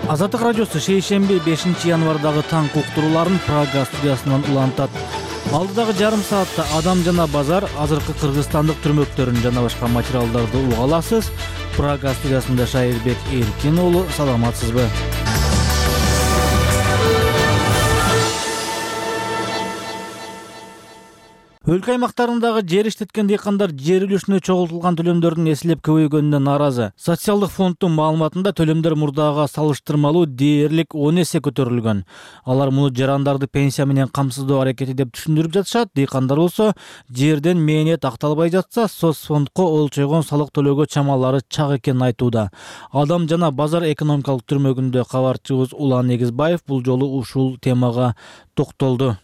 Speaker 17: Азаттык радиосу шейшемби 5 январдагы таң уктурууларын Прага студиясынан улантат. Алдыдагы жарым саатта адам жана базар, азыркы кыргызстандык түрмөктөрүн жана башка материалдарды уга аласыз. Прага студиясында Шайырбек Эркин уулу, саламатсызбы? Өлкө аймактарындагы жер иштеткен дыйкандар жер үлүшүнө чогултулган төлөмдөрдүн эселеп көбөйгөнүнө нааразы. Социалдык фонддун маалыматында төлөмдөр мурдага салыштырмалуу дээрлик 10 эсе көтөрүлгөн. Алар муну жарандарды пенсия менен камсыздоо аракети деп түшүндүрүп жатышат. Дыйкандар болсо, жерден мээнет акталбай жатса, соцфондко олчойгон салык төлөөгө чамалары чак экенин айтууда. Адам жана базар экономикалык түрмөгүндө кабарчыбыз Улан Эгизбаев бул жолу ушул темага токтолду.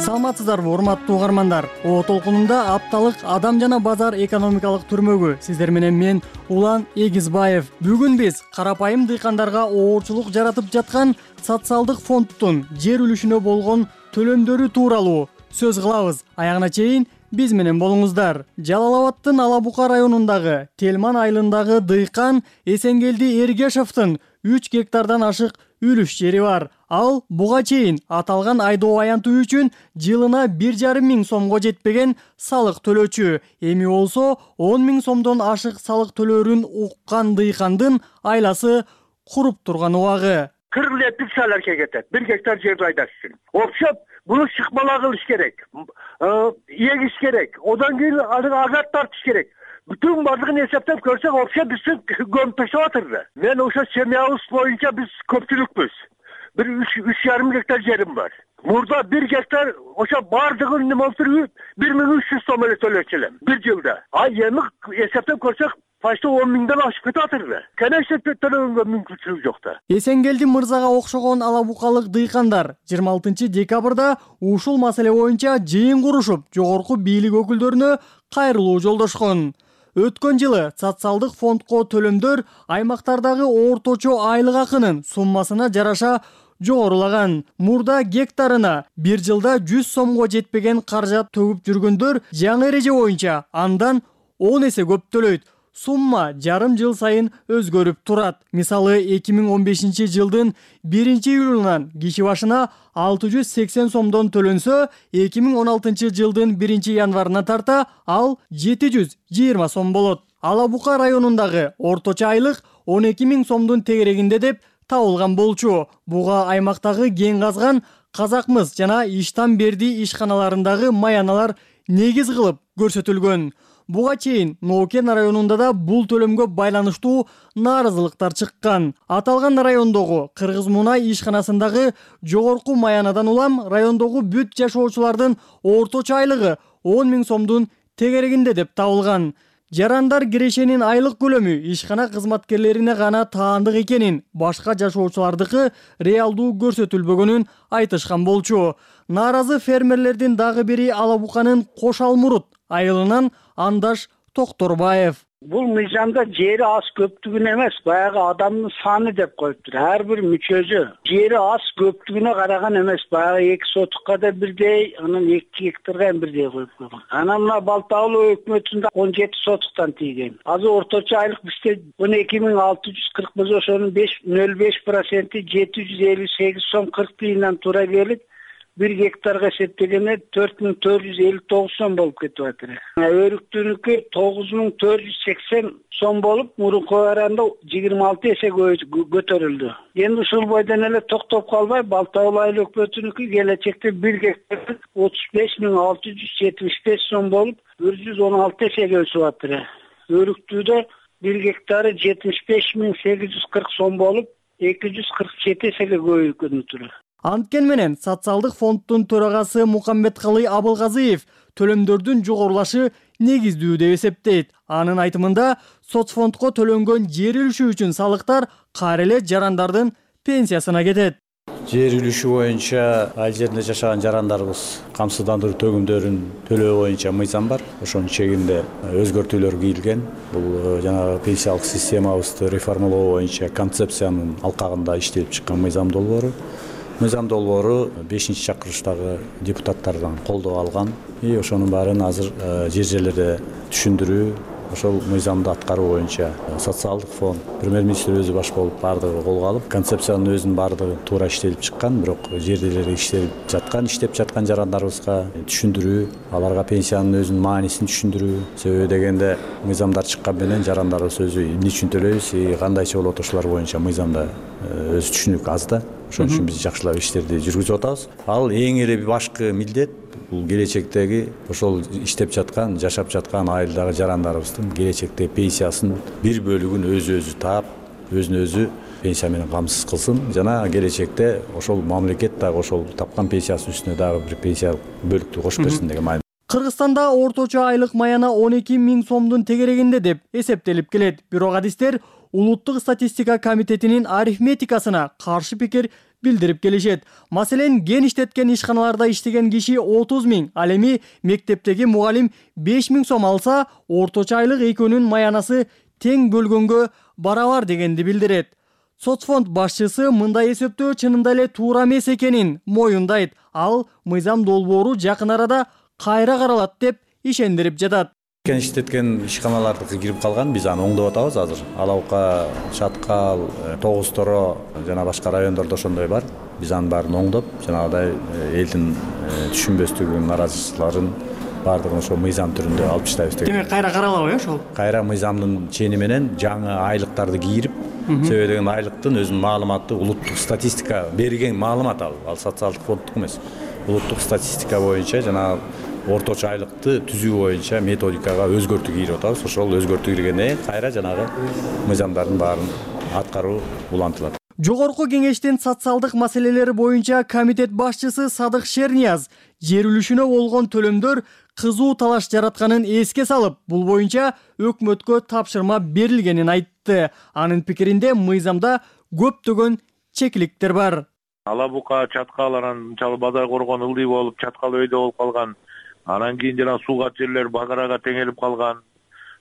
Speaker 18: Саламатсыздарбы, урматтуу угармандар. О толкунунда апталык адам жана базар экономикалык түрмөгү. Сиздер менен мен Улан Эгизбаев. Бүгүн биз карапайым дыйкандарга оорчулук жаратып жаткан социалдык фонддун жер үлүшүнө болгон төлөмдөрү тууралуу сөз кылабыз. Аягына чейин биз менен болуңуздар. Жалал-Абадтын Алабука районундагы Телман айылындагы дыйкан Эсенгелди Эргешовдун 3 гектардан ашык үлүш жери бар. Ал буга чейин аталган айдоо аянтуу үчүн жылына 1,5 миң сомго жетпеген салык төлөөчү. Эми болсо 10 миң сомдон ашык салык төлөөрүн уккан дыйкандын айласы куруп турган убагы.
Speaker 19: 40 лептик саларга кетет. 1 гектар жерди айдаш үчүн. Окшоп, буну шыкмала кылыш керек. Эгиш керек. Одан кийин азат тартыш керек. Бүтүн бардыгын эсептеп көрсөк, окшо биздин көмүп таштап атырды. Мен ошо семьябыз боюнча биз көпчүлүкпүз. Bir 3,5 гектар жерим бар. Мурда 1 гектар ошо бардыгын неме болуп туруп 1300 сом эле төлөчү элем 1 жылда. Эми эсептеп көрсөк, почти 10 миңден ашып кетип атырды. Конечно, төлөгөнгө мүмкүнчүлүк жок да.
Speaker 18: Эсенгелди мырзага окшогон алабукалык дыйкандар 26 декабрда ушул маселе боюнча жыйын курушуп, жогорку бийлик өкүлдөрүнө кайрылуу жолдошкон. Өткөн жылы социалдык фондко төлөмдөр аймактардагы орточо айлык акынын суммасына жараша жогорулаган. Мурда гектарына 1 жылда 100 сомго жетпеген каражат төгүп жүргөндөр жаңы эреже боюнча андан 10 эсе көп төлөйт. Сумма жарым жыл сайын өзгөрүп турат. Мисалы 2015 жылдын 1-июлунан киши башына 680 сомдон төлөнсө, 2016 жылдын 1 январына тарта ал 720 сом болот. Алабука районундагы орточо айлык 12 миң сомдун тегерегинде деп табылган болчу. Буга аймактагы кен казган Казакмыс жана Иштан Берди ишканаларындагы маяналар негиз кылып көрсөтүлгөн. Буга чейин Нокен районунда да бул төлөмгө байланыштуу нааразылыктар чыккан. Аталган райондогу Кыргыз Мунай ишканасындагы жогорку маянадан улам райондогу бүт жашоочулардын орточо айлыгы 10 миң сомдун тегерегинде деп табылган. Жарандар кирешенин айлык көлөмү ишкана кызматкерлерине гана таандык экенин, башка жашоочулардыкы реалдуу көрсөтүлбөгөнүн айтышкан болчу. Нааразы фермерлердин дагы бири Алабуканын Кош Алмурут айылынан Андаш Токторбаев.
Speaker 20: Бул мыйзамда жери аз көптүгүн эмес, баягы адамдын саны деп коюптур. Ар бир мүчөсү жери аз көптүгүнө караган эмес, баягы 2 сотукка да бирдей, анан 2 гектарга бирдей коюп койгон. Анан мына Балтаалуу өкмөтүндө 17 сотуктан тийген. Азыр орточо айлык бизде 12.640 болсо, ошонун 0,5% 758 сом 40 тыйындан туура келет. 1 гектарга эсептегенде 4459 сом болуп кетип атыр. Өрүктүүнүкү 9480 сом болуп, мурунку аранда 26 эсе көтөрүлдү. Эми ушул бойдон эле токтоп калбай, Балтабыл айыл өкмөтүнүкү келечекте 1 гектар 35675 сом болуп, 116 эсеге өсүп атыр. Өрүктүүдө 1 гектары 75840 сом болуп, 247 эсеге көбөйгөнү.
Speaker 18: Анткени менен социалдык фонддун төрагасы Мукамбеткалый Абылгазиев төлөмдөрдүн жогорулашы негиздүү деп эсептейт. Анын айтымында, соцфондко төлөнгөн жер үлүшү үчүн салыктар кайра эле жарандардын пенсиясына кетет.
Speaker 21: Жер үлүшү боюнча айыл жеринде жашаган жарандарыбыз камсыздандыруу төгүмдөрүн төлөө боюнча мыйзам бар. Ошонун чегинде өзгөртүүлөр кийилген. Бул жанагы пенсиялык системабызды реформалоо боюнча концепциянын алкагында иштелип чыккан мыйзам долбоору. Мыйзам долбоору 5-чакырыштагы депутаттардан колдоо алган. Ошонун баарын азыр жер жерлерде түшүндүрүү, ошол мыйзамды аткаруу боюнча социалдык фонд, премьер-министр өзү баш болуп бардыгы колго алып, концепциянын өзүнүн бардыгы туура иштелип чыккан, бирок жерделерде иштеп жаткан жарандарыбызга түшүндүрүү, аларга пенсиянын өзүнүн маанисин түшүндүрүү. Себеби дегенде мыйзамдар чыккан менен жарандарыбыз өзү эмне үчүн төлөйбүз, кандайча болот ошолор боюнча мыйзамда өз түшүнүк аз да. Ошон үчүн биз жакшылап иштерди жүргүзүп атабыз. Ал эң эле башкы милдет бул келечектеги ошол иштеп жаткан, жашап жаткан айылдагы жарандарыбыздын келечекте пенсиясын бир бөлүгүн өзү таап, өзүн өзү пенсия менен камсыз кылсын жана келечекте ошол мамлекет дагы ошол тапкан пенсиясынын үстүнө дагы бир пенсия бөлүктү кошуп берсин деген маани.
Speaker 18: Кыргызстанда орточо айлык маяна 12 000 сомдун тегерегинде деп эсептелип келет. Бирок адистер Улуттук статистика комитетинин арифметикасына каршы пикир билдирип келишет. Маселен, ген иштеткен ишканаларда иштеген киши 30 000, ал эми мектептеги мугалим 5 000 сом алса, орточо айлык экөөнүн маянасы тең бөлгөнгө барабар дегенди билдирет. Соцфонд башчысы мындай эсептөө чынында эле туура эмес экенин моюндайт. Ал мыйзам долбоору жакын арада кайра каралат деп ишендирип жатат.
Speaker 21: Кен иштеткен ишканалардыкы кирип калган, биз аны оңдоп атабыз азыр. Алаука, Чаткал, Тогуз Торо жана башка райондордо ошондой бар. Биз анын баарын оңдоп, жанагыдай элдин түшүнбөстүгүн, наразычылыктарын баардыгын ошо мыйзам түрүндө алып таштайбыз деген.
Speaker 18: Демек кайра каралабы ошол?
Speaker 21: Кайра мыйзамдын чени менен жаңы айлыктарды кийирип, себеби деген айлыктын өзүнүн маалыматы улуттук статистика берген маалымат ал социалдык фонддук эмес. Улуттук статистика боюнча жана орточо айлыкты түзүү боюнча методикага өзгөртүү кийирип атабыз. Ошол өзгөртүү киргенде кайра жанагы мыйзамдардын баарын аткаруу улантылат.
Speaker 18: Жогорку кеңештин социалдык маселелери боюнча комитет башчысы Садык Шернияз жер үлүшүнө болгон төлөмдөр кызуу талаш жаратканын эске салып, бул боюнча өкмөткө тапшырма берилгенин айтты. Анын пикиринде мыйзамда көптөгөн чекиликтер бар.
Speaker 22: Алабука, Чаткал, анан Бадай коргон ылдый болуп, Чаткал өйдө болуп калган. Анан кийин жана сууга жерлер Багарага теңелип калган.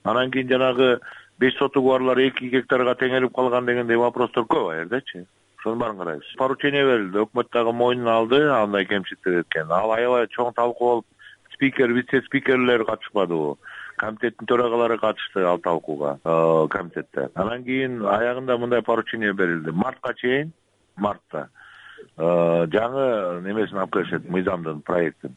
Speaker 22: Анан кийин жанагы 5 сотугу барлар 2 гектарга теңелип калган дегендей вопростор көп аердечи. Ошонун баарын карайбыз. Поручение берилди, өкмөт дагы мойнуна алды андай кемчиликтер экен. Ал аябай чоң талкуу болуп, спикер, вице-спикерлер катышпадыбы? Комитеттин төрагалары катышты ал талкууга комитетте. Анан кийин аягында мындай поручение берилди. Мартка чейин, мартта жаңы немесин алып келишет, мыйзамдын проектин.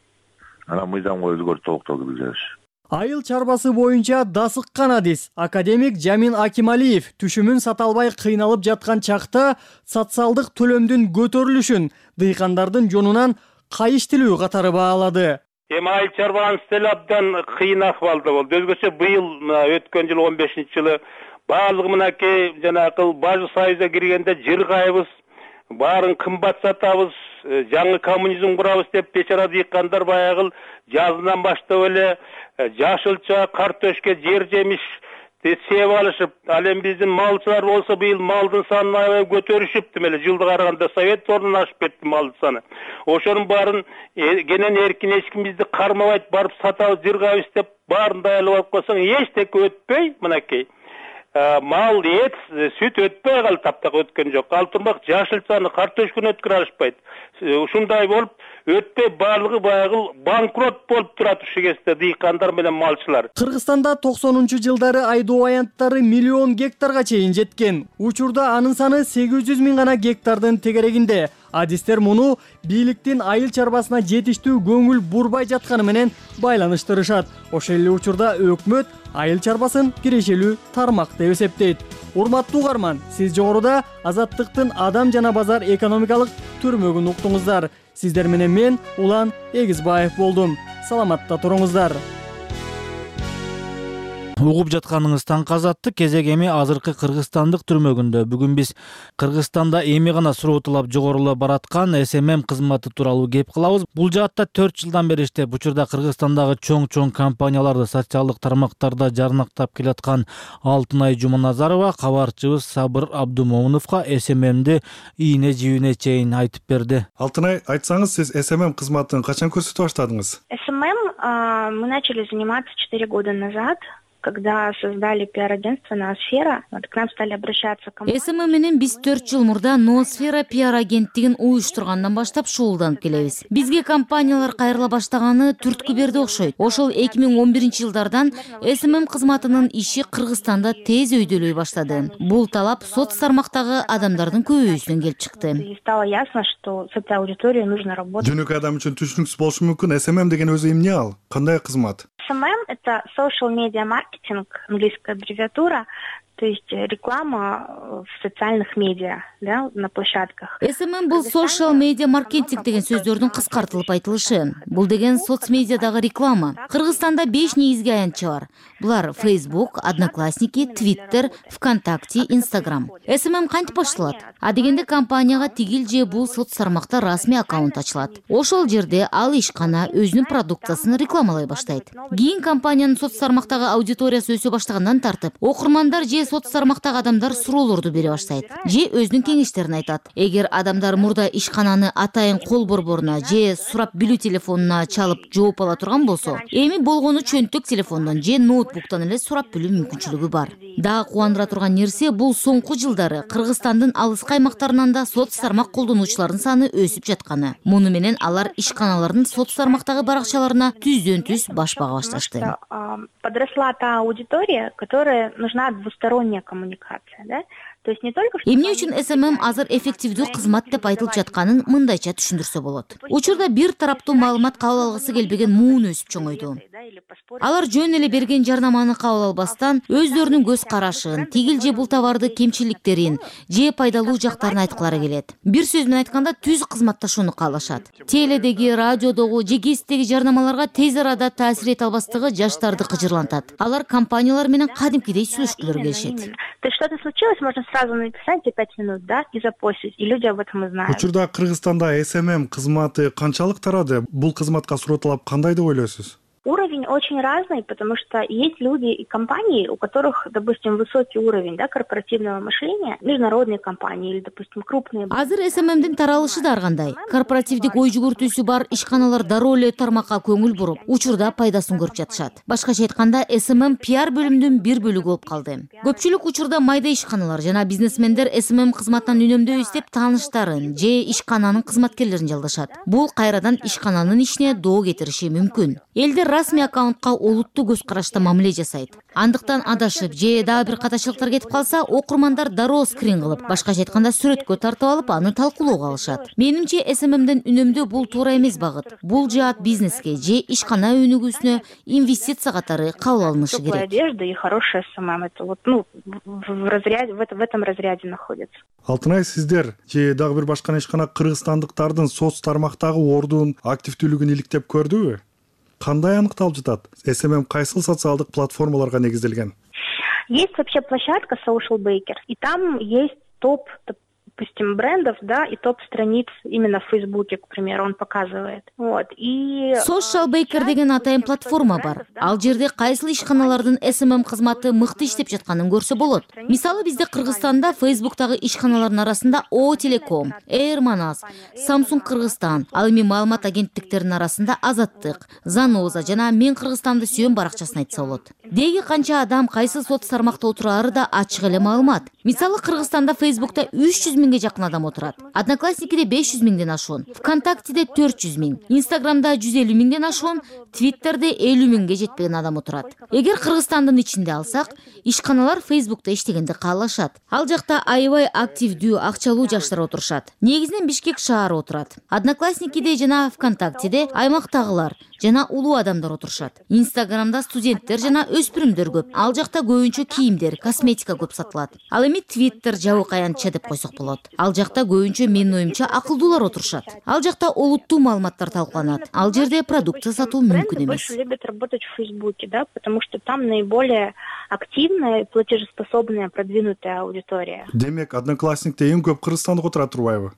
Speaker 22: Анан мыйзамга өзгөртүү толуктоо киргизебиз.
Speaker 18: Айыл чарбасы боюнча дасыккан адис академик Жамин Акималиев түшүмүн сата албай кыйналып жаткан чакта социалдык төлөмдүн көтөрүлүшүн дыйкандардын жонунан кайыштилүү катары баалады.
Speaker 23: Эми айыл чарбанын стили абдан кыйын акыбалда болду. Өзгөчө быйыл өткөн жылы 15-жылы баардыгы мынакей жанагы Бажы Союзга киргенде жыргайбыз, баарын кымбат сатабыз, жаңы коммунизм курабыз деп бечара дыйкандар баягы жазынан баштап эле жашылча, картөшкө, жер жемиш сеп алышып, ал эми биздин малчылар болсо быйыл малдын санын аябай көтөрүшүптү, эле жылга караганда совет ордунан ашып кетти малдын саны. Ошонун баарын кенен эркин эч ким бизди кармабайт, барып сатабыз, жыргайбыз деп баарын даярдап алып койсоң, эчтеке өтпөй мынакей мал, эт, сүт өтпөй калды, таптак өткөн жок. Ал турмак жашылчаны, картөшкөнү өткөрө алышпайт. Ушундай болуп өтпөй баардыгы баягы банкрот болуп турат ушул кезде дыйкандар менен малчылар.
Speaker 18: Кыргызстанда 90-жылдары айдоо аянттары 1 миллион гектарга чейин жеткен. Учурда анын саны 800 000 гана гектардын тегерегинде. адистер муну бийликтин айыл чарбасына жетиштүү көңүл бурбай жатканы менен байланыштырышат. Ошол эле учурда өкмөт айыл чарбасын кирешелүү тармак деп эсептейт. Урматтуу угарман, сиз жогоруда Азаттыктын адам жана базар экономикалык түрмөгүн уктуңуздар. Сиздер менен мен Улан Эгизбаев болдум. Саламатта туруңуздар.
Speaker 17: Угуп жатканыңыз Таңкы Азаттык кезек эми азыркы Кыргызстандык түрмөгүндө. Бүгүн биз Кыргызстанда эми гана суроотулап жогорулап бараткан СММ кызматы тууралуу кеп кылабыз. Бул жаатта 4 жылдан бери иштеп, учурда Кыргызстандагы чоң компанияларды социалдык тармактарда жарнактап келаткан Алтынай Жуманазарова кабарчыбыз Сабыр Абдумомуновго СММди ийне жибине чейин айтып берди.
Speaker 9: Алтынай, айтсаңыз, сиз СММ кызматын качан көрсөтө баштадыңыз?
Speaker 2: СММ мы начали заниматься 4 года назад. Когда создали пиар-агентство «Ноосфера», к нам стали обращаться компании.
Speaker 6: СММ менен биз 4 жыл мурда «Ноосфера» пиар-агенттигин уюштургандан баштап шуулданып келебиз. Бизге компаниялар кайрыла баштаганы түрткү берди окшойт. Ошол 2011-жылдардан СММ кызматынын иши Кыргызстанда тез өйдөлөй баштады. Бул талап соц тармактагы адамдардын көбөйүүсүнөн келип чыкты.
Speaker 2: И стало ясно, что с этой аудиторией нужно работать.
Speaker 9: Жөнөкөй адам үчүн түшүнүксүз болушу мүмкүн. СММ деген өзү эмне ал? Кандай кызмат?
Speaker 2: СММ – это social media marketing, английская аббревиатура, то есть реклама в социальных медиа, да, на площадках.
Speaker 6: СММ бул social media marketing деген сөздөрдүн кыскартылып айтылышы. Бул деген соцмедиадагы реклама. Кыргызстанда 5 негизги аянтчы бар. Булар Facebook, Одноклассники, Twitter, ВКонтакте, Instagram. СММ кантип башталат? А дегенде компанияга тигил же бул соц тармакта расмий аккаунт ачылат. Ошол жерде ал ишкана өзүнүн продукциясын рекламалай баштайт. Кийин компаниянын соц тармактагы аудиториясы өсө баштагандан тартып, окурмандар же соц тармактагы адамдар суроолорду бере баштайт. Же өзүнүн кеңештерин айтат. Эгер адамдар мурда ишкананы атайын кол борборуна же сурап билүү телефонуна чалып жооп ала турган болсо, эми болгону чөнтөк телефондон же ноутбуктан эле сурап билүү мүмкүнчүлүгү бар. Дагы кубандыра турган нерсе, бул соңку жылдары Кыргызстандын алыскы аймактарынан да соц тармак колдонуучулардын саны өсүп жатканы. Муну менен алар ишканалардын соц тармактагы баракчаларына түздөн-түз баш бага башташты.
Speaker 2: Подросла та аудитория, которая нужна двусторонняя коммуникация, да? То есть не только что...
Speaker 6: Эмне үчүн СММ азыр эффективдүү кызмат деп айтылып жатканын мындайча түшүндүрсө болот. Учурда бир тараптуу маалымат кабыл алгысы келбеген муун өсүп чоңойду. Алар жөн эле берген жарнаманы кабыл албастан өздөрүнүн көз карашын, тигил же бул товарды кемчиликтерин же пайдалуу жактарын айткылары келет. Бир сөз менен айтканда түз кызматташууну каалашат. Теледеги, радиодогу же гезиттеги жарнамаларга тез арада таасир эте албастыгы жаштарды кыжырлантат. Алар компаниялар менен кадимкидей сүйлөшкүлөрү келишет.
Speaker 2: То есть что-то случилось, можно сразу написать за 5 минут, да, и запостить, и люди об этом и знают.
Speaker 9: Учурда Кыргызстанда СММ кызматы канчалык тарады? Бул кызматка суроотулап кандай деп ойлойсуз?
Speaker 2: Уровень очень разный, потому что есть люди и компании, у которых, допустим, высокий уровень, да, корпоративного мышления, международные компании или, допустим, крупные.
Speaker 6: Азыр СММдин таралышы да ар кандай. Корпоративдик ой жүгүртүүсү бар ишканалар дароо эле тармакка көңүл буруп, учурда пайдасын көрүп жатышат. Башкача айтканда, СММ пиар бөлүмүнүн бир бөлүгү болуп калды. Көпчүлүк учурда майда ишканалар жана бизнесмендер СММ кызматынан үнөмдөйбүз деп тааныштарын же ишкананын кызматкерлерин жалдашат. Бул кайрадан ишкананын ишине доо кетириши мүмкүн. Элдер расмий аккаунтка олуттуу көз карашта мамиле жасайт. Андыктан адашып же дагы бир катачылыктар кетип калса, окурмандар дароо скрин кылып, башкача айтканда сүрөткө тартып алып, аны талкуулоого алышат. Менимче, СММден үнөмдөө бул туура эмес багыт. Бул жаат бизнеске же ишкана өнүгүүсүнө инвестиция катары кабыл алынышы керек.
Speaker 2: Теплая одежда и хорошая СММ, это вот, в этом разряде находится.
Speaker 9: Алтынай, сиздер же дагы бир башка ишкана кыргызстандыктардын соц тармактагы ордун, активдүүлүгүн иликтеп көрдүбү? Кандай аныкталып жатат? СММ кайсыл социалдык платформаларга негизделген?
Speaker 2: Есть вообще площадка Social Baker, и там есть топ, допустим, брендов, да, и топ страниц именно в Фейсбуке, к примеру, он показывает. Вот. И
Speaker 6: Social Baker деген атайын платформа бар. Ал жерде кайсыл ишканалардын СММ кызматы мыкты иштеп жатканын көрсө болот. Мисалы, бизде Кыргызстанда Фейсбуктагы ишканалардын арасында О Телеком, Air Manas, Samsung Кыргызстан, ал эми маалымат агенттиктеринин арасында Азаттык, Заноза жана Мен Кыргызстанды сүйөм баракчасын айтса болот. Деги канча адам кайсы соц тармакта отурары да ачык эле маалымат. Мисалы, Кыргызстанда Фейсбукта 300 миңге жакын адам отурат. Одноклассникиде 500 миңден ашуун, ВКонтактеде 400 миң, Инстаграмда 150 миңден ашуун, Твиттерде 50 миңге жетпеген адам отурат. Эгер Кыргызстандын ичинде алсак, ишканалар Фейсбукта иштегенди каалашат. Ал жакта аябай активдүү, акчалуу жаштар отурушат. Негизинен Бишкек шаары отурат. Одноклассникиде жана ВКонтактеде аймактагылар жана улуу адамдар отурушат. Инстаграмда студенттер жана өспүрүмдөр көп. Ал жакта көбүнчө кийимдер, косметика көп сатылат. Ал эми Твиттер жабыркаянча деп койсок болот. Ал жакта көбүнчө менин оюмча акылдуулар отурушат. Ал жакта олуттуу маалыматтар талкууланат. Ал жерде продукция сатуу мүмкүн эмес.
Speaker 2: Больше любят работать в Фейсбуке, да, потому что там наиболее активная, платежеспособная, продвинутая аудитория.
Speaker 9: Демек, Одноклассникте эң көп кыргызстандык отурат турбайбы?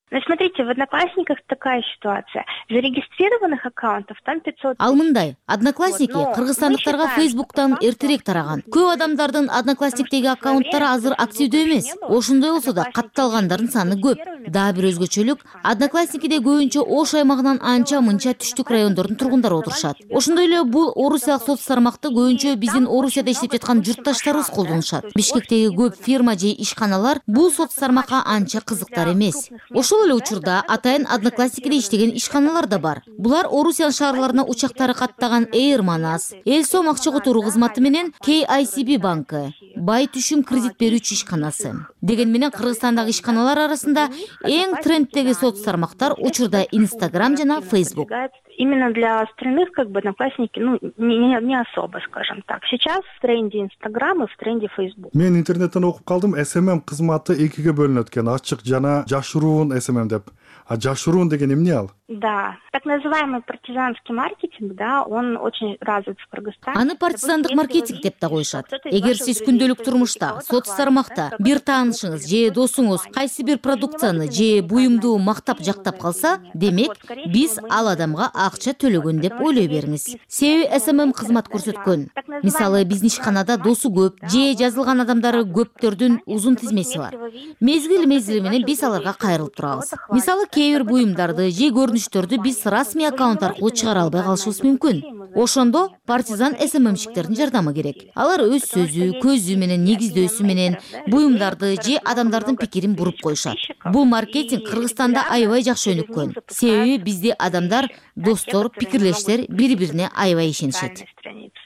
Speaker 2: Ну, смотрите, в Одноклассниках такая ситуация. Зарегистрированных аккаунтов там 500.
Speaker 6: Ал мындай, Одноклассники кыргызстандыктарга Фейсбуктан эртерээк тараган. Көп адамдардын Одноклассниктеги аккаунттары азыр активдүү эмес. Ошондой болсо да катталгандардын саны көп. Дагы бир өзгөчөлүк, Одноклассникиде көбүнчө Ош аймагынан анча-мынча түштүк райондордун тургундары отурушат. Ошондой эле бул орусиялык соц тармакты көбүнчө биздин Орусияда иштеп жаткан журтташтарыбыз колдонушат. Бишкектеги көп фирма же ишканалар бул соц тармакка анча кызыктар эмес. Ошол эле учурда атайын Одноклассникиде иштеген ишканалар да бар. Булар Орусия шаарларына учактары каттаган Air Manas, Элсом акча которуу кызматы менен KICB банкы, Бай түшүм кредит берүүчү ишканасы. Деген менен Кыргызстандагы ишканалар арасында эң тренддеги соц тармактар учурда Инстаграм жана Фейсбук.
Speaker 2: Именно для остальных, как бы, Одноклассники, ну, не особо, скажем так. Сейчас в тренде Инстаграм и в тренде Фейсбук.
Speaker 9: Мен интернеттен окуп калдым, SMM кызматы экиге бөлүнөт экен, ачык жана жашыруун SMM деп. А жашыруун деген эмне ал?
Speaker 2: Да, так называемый партизанский маркетинг, да, он очень развит в Кыргызстане.
Speaker 6: Аны партизандык маркетинг деп да коюшат. Эгер сиз күндөлүк турмушта, соц тармакта бир таанышыңыз же досуңуз кайсы бир продукцияны же буюмду мактап жактап калса, демек биз ал адамга акча төлөгөн деп ойлой бериңиз. Себеби SMM кызмат көрсөткөн. Мисалы, биздин ишканада досу көп же жазылган адамдары көптөрдүн узун тизмеси бар. Мезгил менен биз аларга кайрылып турабыз. Мисалы, кээ бир буюмдарды же көрүнүштөрдү биз расмий аккаунт аркылуу чыгара албай калышыбыз мүмкүн. Ошондо партизан SMMщиктердин жардамы керек. Алар өз сөзү, көзү менен, негиздөөсү менен буюмдарды же адамдардын пикирин буруп коюшат. Бул маркетинг Кыргызстанда аябай жакшы өнүккөн. Себеби бизде адамдар, достор, пикирлештер бири-бирине аябай ишенишет.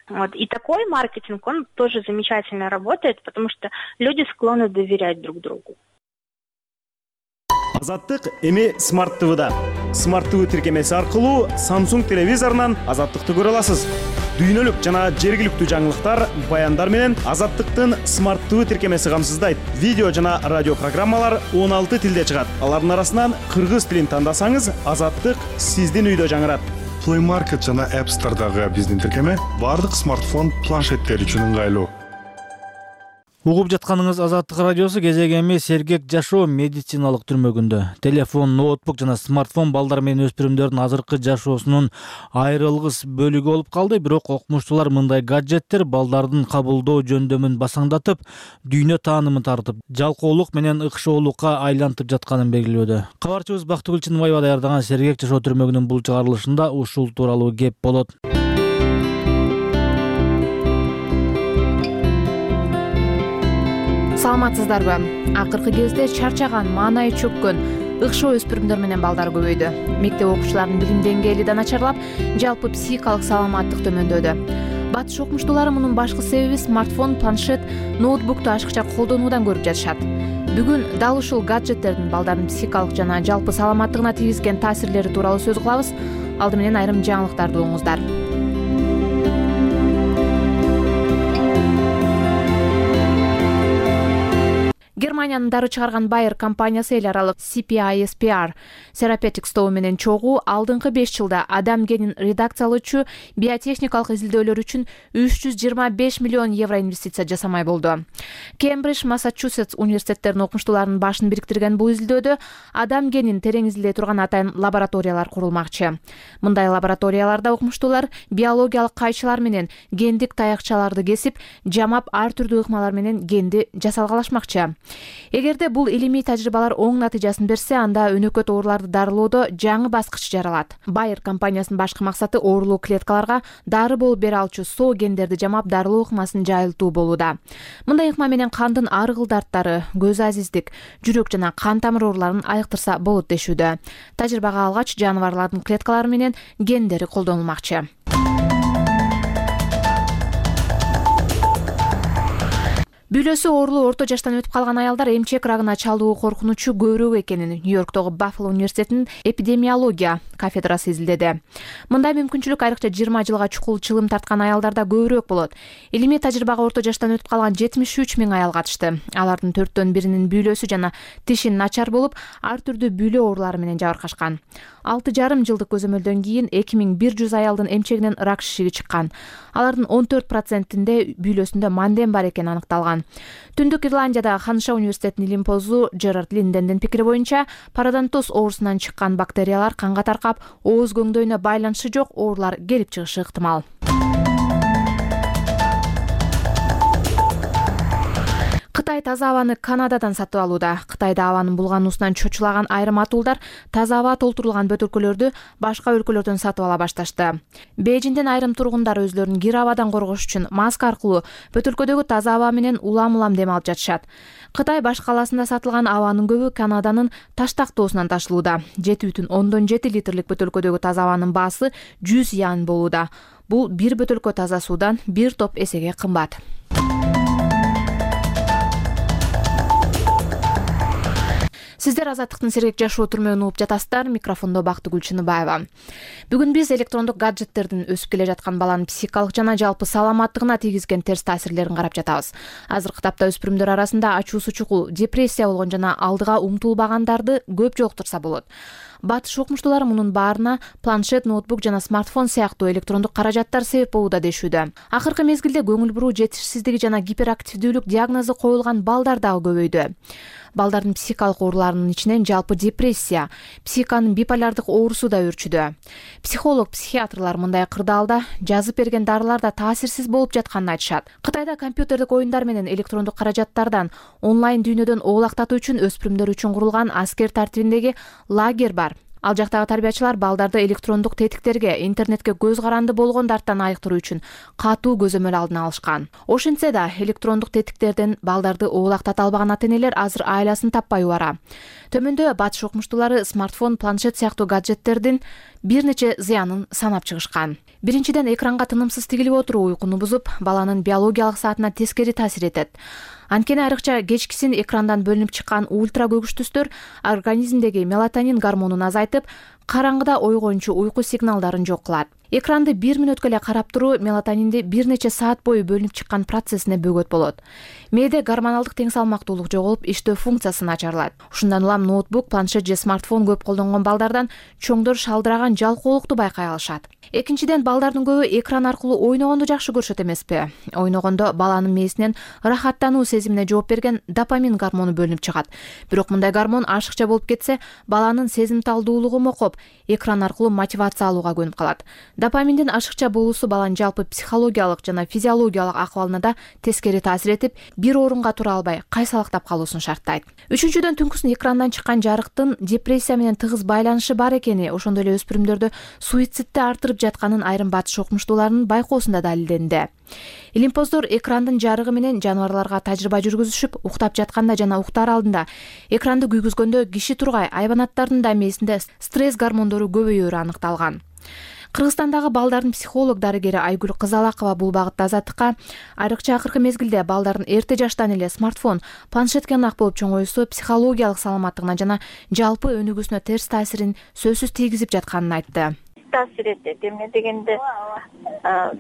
Speaker 2: Вот. И такой маркетинг, он тоже замечательно работает, потому что люди склонны доверять друг другу.
Speaker 1: Азаттык эми Smart TV'да. Smart TV тиркемеси аркылуу Samsung телевизорунан Азаттыкты көрө аласыз. Дүйнөлүк жана жергиликтүү жаңылыктар, баяндар менен Азаттыктын Smart TV тиркемеси камсыздайт. Видео жана радио программалар 16 тилде чыгат. Алардын арасынан кыргыз тилин тандасаңыз, Азаттык сиздин үйдө жаңырат.
Speaker 9: Play Market жана App Store'дагы биздин тиркеме бардык смартфон, планшеттер үчүн ыңгайлуу.
Speaker 17: Угуп жатканыңыз Азаттык радиосу кезегеми сергек жашоо медициналык түрмөгүндө. Телефон, ноутбук жана смартфон балдар менен өспүрүмдөрдүн азыркы жашоосунун айрылгыс бөлүгү болуп калды, бирок окумуштуулар мындай гаджеттер балдардын кабылдоо жөндөмүн басаңдатып, дүйнө таанымын тартып, жалкоолук менен ыкшоолукка айлантып жатканын белгилөөдө. Кабарчыбыз Бактыгүл Чынбаева даярдаган сергек жашоо түрмөгүнүн бул чыгарылышында ушул тууралуу кеп болот.
Speaker 3: Саламатсыздарбы? Акыркы кезде чарчаган, маанайы чөккөн, ыкшоо өспүрүмдөр менен балдар көбөйдү. Мектеп окуучуларынын билим деңгээли да начарлап, жалпы психикалык саламаттык төмөндөдү. Батыш окумуштуулары мунун башкы себеби смартфон, планшет, ноутбукту ашыкча колдонуудан көрүп жатышат. Бүгүн дал ушул гаджеттердин балдардын психикалык жана жалпы саламаттыгына тийгизген таасирлери тууралуу сөз кылабыз. Алды менен айрым жаңылыктарды угуңуздар. Германиянын дары чыгарган Bayer компаниясы эл аралык CPISPR Therapeutics тобу менен чогуу алдыңкы 5 жылда адам генин редакциялоочу биотехникалык изилдөөлөр үчүн 325 миллион евро инвестиция жасамай болду. Кембридж, Массачусетс университеттеринин окумуштууларынын башын бириктирген бул изилдөөдө адам генин терең изилдей турган атайын лабораториялар курулмакчы. Мындай лабораторияларда окумуштуулар биологиялык кайчылар менен гендик таякчаларды кесип, жамап ар түрдүү ыкмалар менен генди жасалгалашмакчы. Эгерде бул илимий тажрыйбалар оң натыйжасын берсе, анда өнөкөт ооруларды дарылоодо жаңы баскыч жаралат. Bayer компаниясынын башкы максаты оорулуу клеткаларга дары болуп бере алчу соо гендерди жамап дарылоо ыкмасын жайылтуу болууда. Мындай ыкма менен кандын ар кыл дарттары, көз азиздик, жүрөк жана кан тамыр ооруларын айыктырса болот дешүүдө. Тажрыйбага алгач жаныбарлардын клеткалары менен гендери колдонулмакчы. Бүлөсү оорулуу орто жаштан өтүп калган аялдар эмчек рагына чалдуу коркунучу көбүрөөк экенин Нью-Йорктогу Баффало университетинин эпидемиология кафедрасы изилдеди. Мындай мүмкүнчүлүк айрыкча 20 жылга чукул чылым тарткан аялдарда көбүрөөк болот. Илимий тажрыйбага орто жаштан өтүп калган 73 миң аял катышты. Алардын 4/1 бүлөсү жана тиши начар болуп, ар түрдүү бүлө оорулары менен жабыркашкан. 6,5 жылдык көзөмөлдөн кийин 2100 аялдын эмчегинен рак шишиги чыккан. Алардын 14%-inde бүлөсүндө манден бар экени аныкталган. Түндүк Ирландияда Ханыша университетинин илимпозу Джерард Линдендин пикири боюнча, пародонтоз оорусунан чыккан бактериялар канга таркап, ооз көңдөйүнө байланышы жок оорулар келип чыгышы ыктымал. Кытай таза абаны Канададан сатып алууда. Кытайда абанын булгануусунан чочулаган айрым атуулдар таза аба толтурулган бөтөлкөлөрдү башка өлкөлөрдөн сатып ала башташты. Бейжиңден айрым тургундар өзлөрүн кир абадан коргош үчүн маска аркылуу бөтөлкөдөгү таза аба менен улам дем алып жатышат. Кытай баш калаасында сатылган абанын көбү Канаданын Таштактоосунан ташылууда. 7,7 литрлик бөтөлкөдөгү таза абанын баасы 100 ян болууда. Бул бир бөтөлкө таза суудан бир топ эсеге кымбат. Сиздер Азаттыктын сергек жашоо түрмөгүн угуп жатасыздар. Микрофондо Бактыгүл Чыныбаева. Бүгүн биз электрондук гаджеттердин өсүп келе жаткан баланын психикалык жана жалпы саламаттыгына тийгизген терс таасирлерин карап жатабыз. Азыркы тапта өспүрүмдөр арасында ачуусу чукул, депрессия болгон жана алдыга умтулбагандарды көп жолуктурса болот. Батыш окумуштуулар мунун баарына планшет, ноутбук жана смартфон сыяктуу электрондук каражаттар себеп болууда дешүүдө. Акыркы мезгилде көңүл буруу жетишсиздиги жана гиперактивдүүлүк диагнозу коюлган балдар дагы көбөйдү. Балдардын психикалык ооруларынын ичинен жалпы депрессия, психиканын биполярдык оорусу да өрчүдө. Психолог, психиатрлар мындай кырдаалда жазып берген дарылар да таасирсиз болуп жатканын айтышат. Кытайда компьютердик оюндар менен электрондук каражаттардан онлайн дүйнөдөн оолактатуу үчүн өспүрүмдөр үчүн курулган аскер тартибиндеги лагерь бар. Ал жактагы тарбиячылар балдарды электрондук тетиктерге, интернетке көз каранды болгондардан айыктыруу үчүн катуу көзөмөл алдын алышкан. Ошентсе да электрондук тетиктерден балдарды оолактата албаган ата-энелер азыр айласын таппай убара. Төмөндө батыш окумуштуулары смартфон, планшет сыяктуу гаджеттердин бир нече зыянын санап чыгышкан. Биринчиден, экранга тынымсыз тигилип отуруу уйкуну бузуп, баланын биологиялык саатына тескери таасир этет. Анткени айрыкча кечкисин экрандан бөлүнүп чыккан ультра көгүч түстөр организмдеги мелатонин гормонун азайтып, караңгыда ойгоончу уйку сигналдарын жок кылат. Экранды 1 мүнөткө эле карап туруу мелатонинди бир нече саат бою бөлүнүп чыккан процессине бөгөт болот. Мээде гормоналдык тең салмактуулук жоголуп, иштөө функциясы начарлайт. Ушундан улам ноутбук, планшет же смартфон көп колдонгон балдардан чоңдор шалдыраган жалкоолукту байкай алышат. Экинчиден, балдардын көбү экран аркылуу ойногонду жакшы көрүшөт эмеспи? Ойногондо баланын мээсинен ырахаттануу сезимине жооп берген допамин гормону бөлүнүп чыгат. Бирок мындай гормон ашыкча болуп кетсе, баланын сезимталдуулугу мокоп, экран аркылуу мотивация алууга көнүп калат. Допаминдин ашыкча болуусу баланын жалпы психологиялык жана физиологиялык акыбалына да тескери таасир этип, бир орунга тура албай, кайсалактап калуусун шарттайт. Үчүнчүдөн, түнкүсүн экрандан чыккан жарыктын депрессия менен тыгыз байланышы бар экени, ошондой эле өспүрүмдөрдө суицидди артырып жатканын айрым батыш окумуштууларынын байкоосунда далилденди. Илимпоздор экрандын жарыгы менен жаныбарларга тажрыйба жүргүзүшүп, уктап жатканда жана уктар алдында экранды күйгүзгөндө киши тургай айбанаттардын да мээсинде стресс гормондору көбөйөөрү аныкталган. Кыргызстандагы балдардын психолог дарыгери Айгүл Кызалакова бул багытта Азаттыкка айрыкча акыркы мезгилде балдардын эрте жаштан эле смартфон, планшетке ынак болуп чоңоюусу психологиялык саламаттыгына жана жалпы өнүгүүсүнө терс таасирин сөзсүз тийгизип жатканын айтты.
Speaker 4: Таасир этет. Эмне дегенде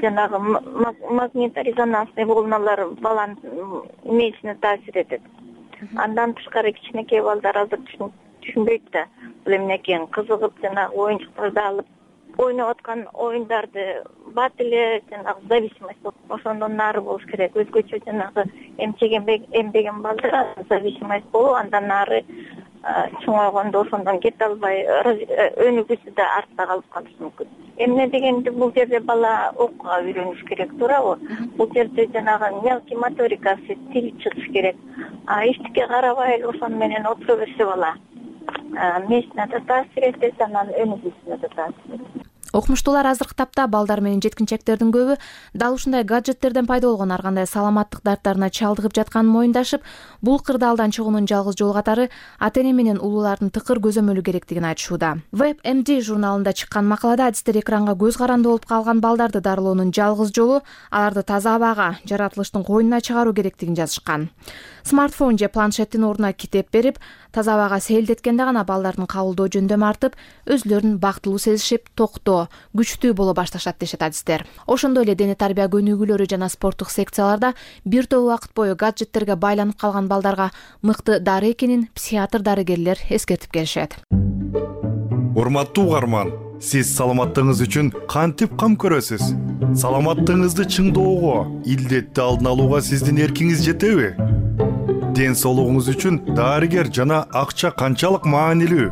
Speaker 4: жанагы магнитно-резонансный волналар баланын мээсине таасир этет. Андан тышкары кичинекей балдар азыр түшүнбөйт да. Бул эмне экенин кызыгып жанагы оюнчуктарды алып ойноп аткан оюндарды бат эле жанагы зависимость ошондон нары болуш керек. Өзгөчө жанагы эмбеген балдар зависимость болуп, андан нары чоңойгондо ошондон кете албай өнүгүүсү да артта калып калышы мүмкүн. эмне дегенде бул жерде бала окууга үйрөнүш керек, туурабы? Бул жерде жанагы мелкий моторикасы, тил чыгыш керек. Эчтеке карабай эле ошону менен отура берсе бала мээсине да таасир этет, анан өнүгүүсүнө да таасир этет.
Speaker 3: Окумуштуулар азыркы тапта балдар менен жеткинчектердин көбү дал ушундай гаджеттерден пайда болгон ар кандай саламаттык дарттарына чалдыгып жатканын моюндашып, бул кырдаалдан чыгуунун жалгыз жолу катары ата-эне менен улуулардын тыкыр көзөмөлү керектигин айтышууда. WebMD журналында чыккан макалада адистер экранга көз каранды болуп калган балдарды дарылоонун жалгыз жолу аларды таза абага, жаратылыштын койнуна чыгаруу керектигин жазышкан. Смартфон же планшеттин ордуна китеп берип, таза абага сейилдеткенде гана балдардын кабылдоо жөндөмү артып, өзүлөрүн бактылуу сезишип, токтоо, күчтүү боло башташат дешет адистер. Ошондой эле дене тарбия көнүгүүлөрү жана спорттук секцияларда бир топ убакыт бою гаджеттерге байланып калган балдарга мыкты дары экенин психиатр дарыгерлер эскертип келишет.
Speaker 9: Урматтуу угарман, сиз саламаттыгыңыз үчүн кантип кам көрөсүз? Саламаттыгыңызды чыңдоого, илдетти алдын алууга сиздин эркиңиз жетеби? Ден соолугуңуз үчүн дарыгер жана акча канчалык маанилүү?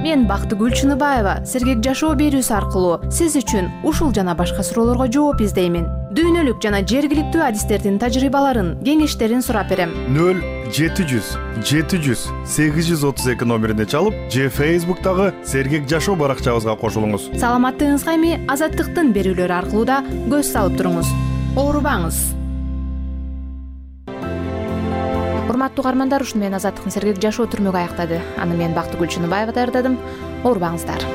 Speaker 3: Мен Бактыгүл Чыныбаева Сергек жашоо берүүсү аркылуу сиз үчүн ушул жана башка суроолорго жооп издеймин. Дүйнөлүк жана жергиликтүү адистердин тажрыйбаларын, кеңештерин сурап берем.
Speaker 9: 0700-700-832 номерине чалып, же Facebook'тагы Сергек жашоо баракчабызга кошулуңуз.
Speaker 3: Саламаттыгыңызга эми Азаттыктын берүүлөрү аркылуу да көз салып туруңуз. Оорубаңыз. Урматтуу угармандар, ушуну менен Азаттыктын Сергек жашоо түрмөгү аяктады. Аны мен Бактыгүл Чыныбаева даярдадым. Оорубаңыздар.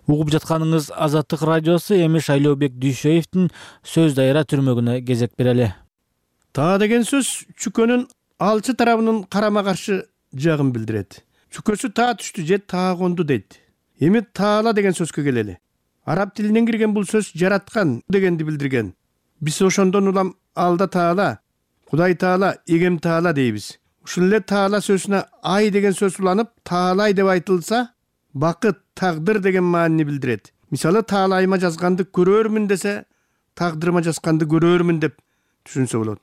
Speaker 17: Угуп жатканыңыз Азаттык радиосу. Эми Шайлообек Дүйшөевдин сөз дайыра түрмөгүнө кезек берели.
Speaker 16: Таа деген сөз чүкөнүн алчы тарабынын карама каршы жагын билдирет. Чүкөсү таа түштү же таа конду дейт. Эми таала деген сөзгө келели. Араб тилинен кирген бул сөз жараткан дегенди билдирген. Биз ошондон улам алда таала, Кудай таала, эгем таала дейбиз. Ушул эле таала сөзүнө ай деген сөз уланып, таалай деп айтылса, бакыт, тагдыр деген маанини билдирет. Мисалы, таалайыма жазганды көрөрмүн десе, тагдырыма жазганды көрөрмүн деп түшүнсө болот.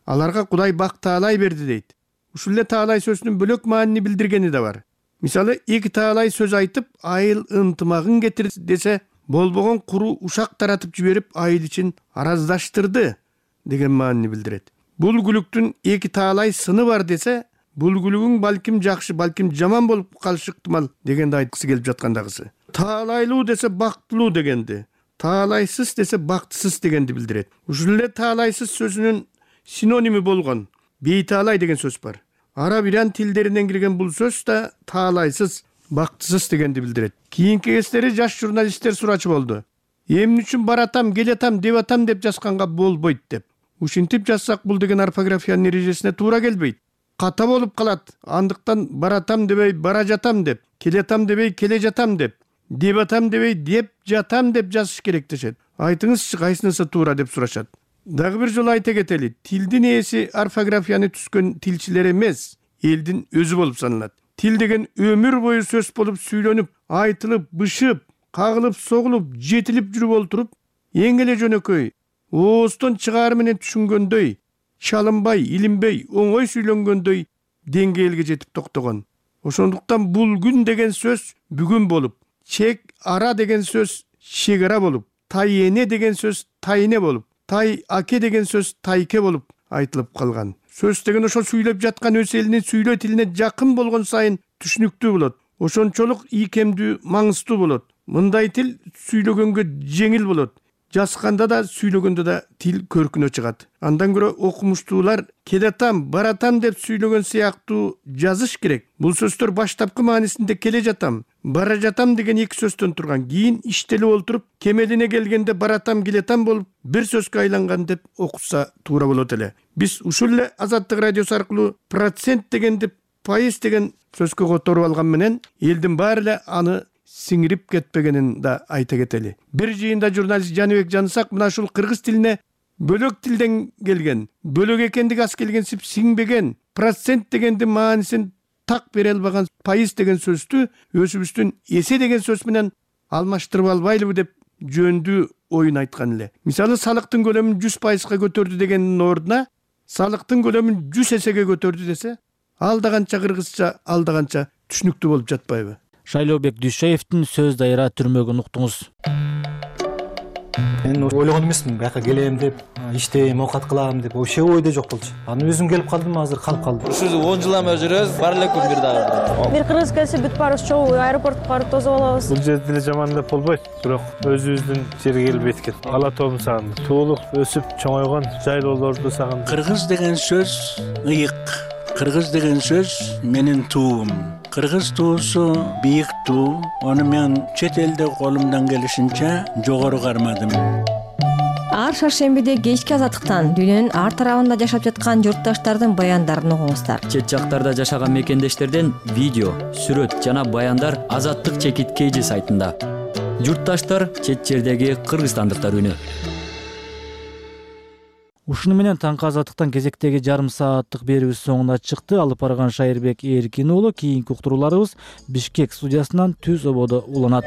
Speaker 16: Аларга Кудай бак таалай берди дейт. Ушул эле таалай сөзүнүн бөлөк маанини билдиргени да бар. Мисалы, эки таалай сөз айтып, айыл ынтымагын кетир десе, болбогон куру ушак таратып жиберип, айыл ичин араздаштырды деген маанини билдирет. Бул күлүктүн эки таалай сыны бар десе, бул күлүгүң балким жакшы, балким жаман болуп калышы ыктымал дегенди айткысы келип жаткандагысы. Таалайлуу десе бактылуу дегенди, таалайсыз десе бактысыз дегенди билдирет. Ушул эле таалайсыз сөзүнүн синоними болгон бейтаалай деген сөз бар. Араб иран тилдеринен кирген бул сөз да таалайсыз, бактысыз дегенди билдирет. Кийинки кездери жаш журналисттер сурачу болду. Эмне үчүн баратам, келатам, деп атам деп жазганга болбойт деп. Ушинтип жазсак, бул деген орфографиянын эрежесине туура келбейт. Ката болуп калат. Андыктан баратам дебей бара жатам деп, келетам дебей келе жатам деп атам дебей деп жатам деп жазыш керек дешет. Айтыңызчы, кайсынысы туура деп сурашат. Дагы бир жолу айта кетели, тилдин ээси орфографияны түзгөн тилчилер эмес, элдин өзү болуп саналат. Тил деген өмүр бою сөз болуп сүйлөнүп, айтылып, бышып, кагылып, согулуп, жетилип жүрүп олтуруп, эң эле жөнөкөй, ооздон чыгаар менен түшүнгөндөй, чалынбай, илинбей, оңой сүйлөнгөндөй деңгээлге жетип токтогон. Ошондуктан бул күн деген сөз бүгүн болуп, чек ара деген сөз чек ара болуп, тай эне деген сөз тайне болуп, тай аке деген сөз тайке болуп айтылып калган. Сөз деген ошол сүйлөп жаткан өз элинин сүйлөө тилине жакын болгон сайын түшүнүктүү болот. Ошончолук ийкемдүү, маңыздуу болот. Мындай тил сүйлөгөнгө жеңил болот. Жазганда да, сүйлөгөндө да тил көркүнө чыгат. Андан көрө окумуштуулар келатам, баратам деп сүйлөгөн сыяктуу жазыш керек. Бул сөздөр баштапкы маанисинде келе жатам, бара жатам деген эки сөздөн турган. Кийин иштелип олтуруп, кемелине келгенде баратам, келетам болуп, бир сөзгө айланган деп окутса туура болот эле. Биз ушул эле Азаттык радиосу аркылуу процент дегенди пайыз деген сөзгө которуп алган менен, элдин баары эле аны сиңирип кетпегенин да айта кетели. Бир жыйында журналист Жаныбек Жанысак мына ушул кыргыз тилине бөлөк тилден келген, бөлөк экендиги аз келгенсип сиңбеген, процент дегенди маанисин так бере албаган пайыз деген сөздү өзүбүздүн эсе деген сөз менен алмаштырып албайлыбы деп жөндүү оюн айткан эле. Мисалы, салыктын көлөмүн 100%га көтөрдү дегендин ордуна салыктын көлөмүн 100 эсеге көтөрдү десе, алда канча кыргызча, алда канча түшүнүктүү болуп жатпайбы?
Speaker 17: Шайлообек Дүйшаевдин сөз дайыра түрмөгүн уктуңуз.
Speaker 5: Мен ойлогон эмесмин бияка келем деп, иштейм, оокат кылам деп, вообще ойдо жок болчу. Анан өзүм келип калдым, азыр калып калдым.
Speaker 7: Ушул 10 жыл эме жүрөбүз, бар эле күн бир дагы.
Speaker 8: Бир кыргыз келсе бүт баарыбыз чогуу аэропортко барып тосуп алабыз.
Speaker 24: Бул жерде деле жаман деп болбойт, бирок өзүбүздүн жерге келип эткен. Ала тоом сагындым. Туулук, өсүп чоңойгон жайлоолорду сагындым.
Speaker 25: Кыргыз деген сөз ыйык. Кыргыз деген сөз менин туум. Кыргыз туусу бийик туу. Ону мен чет элде колумдан келишинче жогору кармадым.
Speaker 8: Ар шаршембиде кечки азаттыктан дүйнөнүн ар тарабында жашап жаткан журтташтардын баяндарын угуңуздар.
Speaker 26: Чет жактарда жашаган мекендештерден видео, сүрөт жана баяндар Азаттык чекит KG сайтында. Журтташтар чет жердеги кыргызстандыктар үнү.
Speaker 17: Ушуну менен таңкы азаттыктан кезектеги жарым сааттык берүүбүз соңуна чыкты. Алып барган Шайырбек Эркин уулу. Кийинки уктурууларыбыз Бишкек студиясынан түз ободо уланат.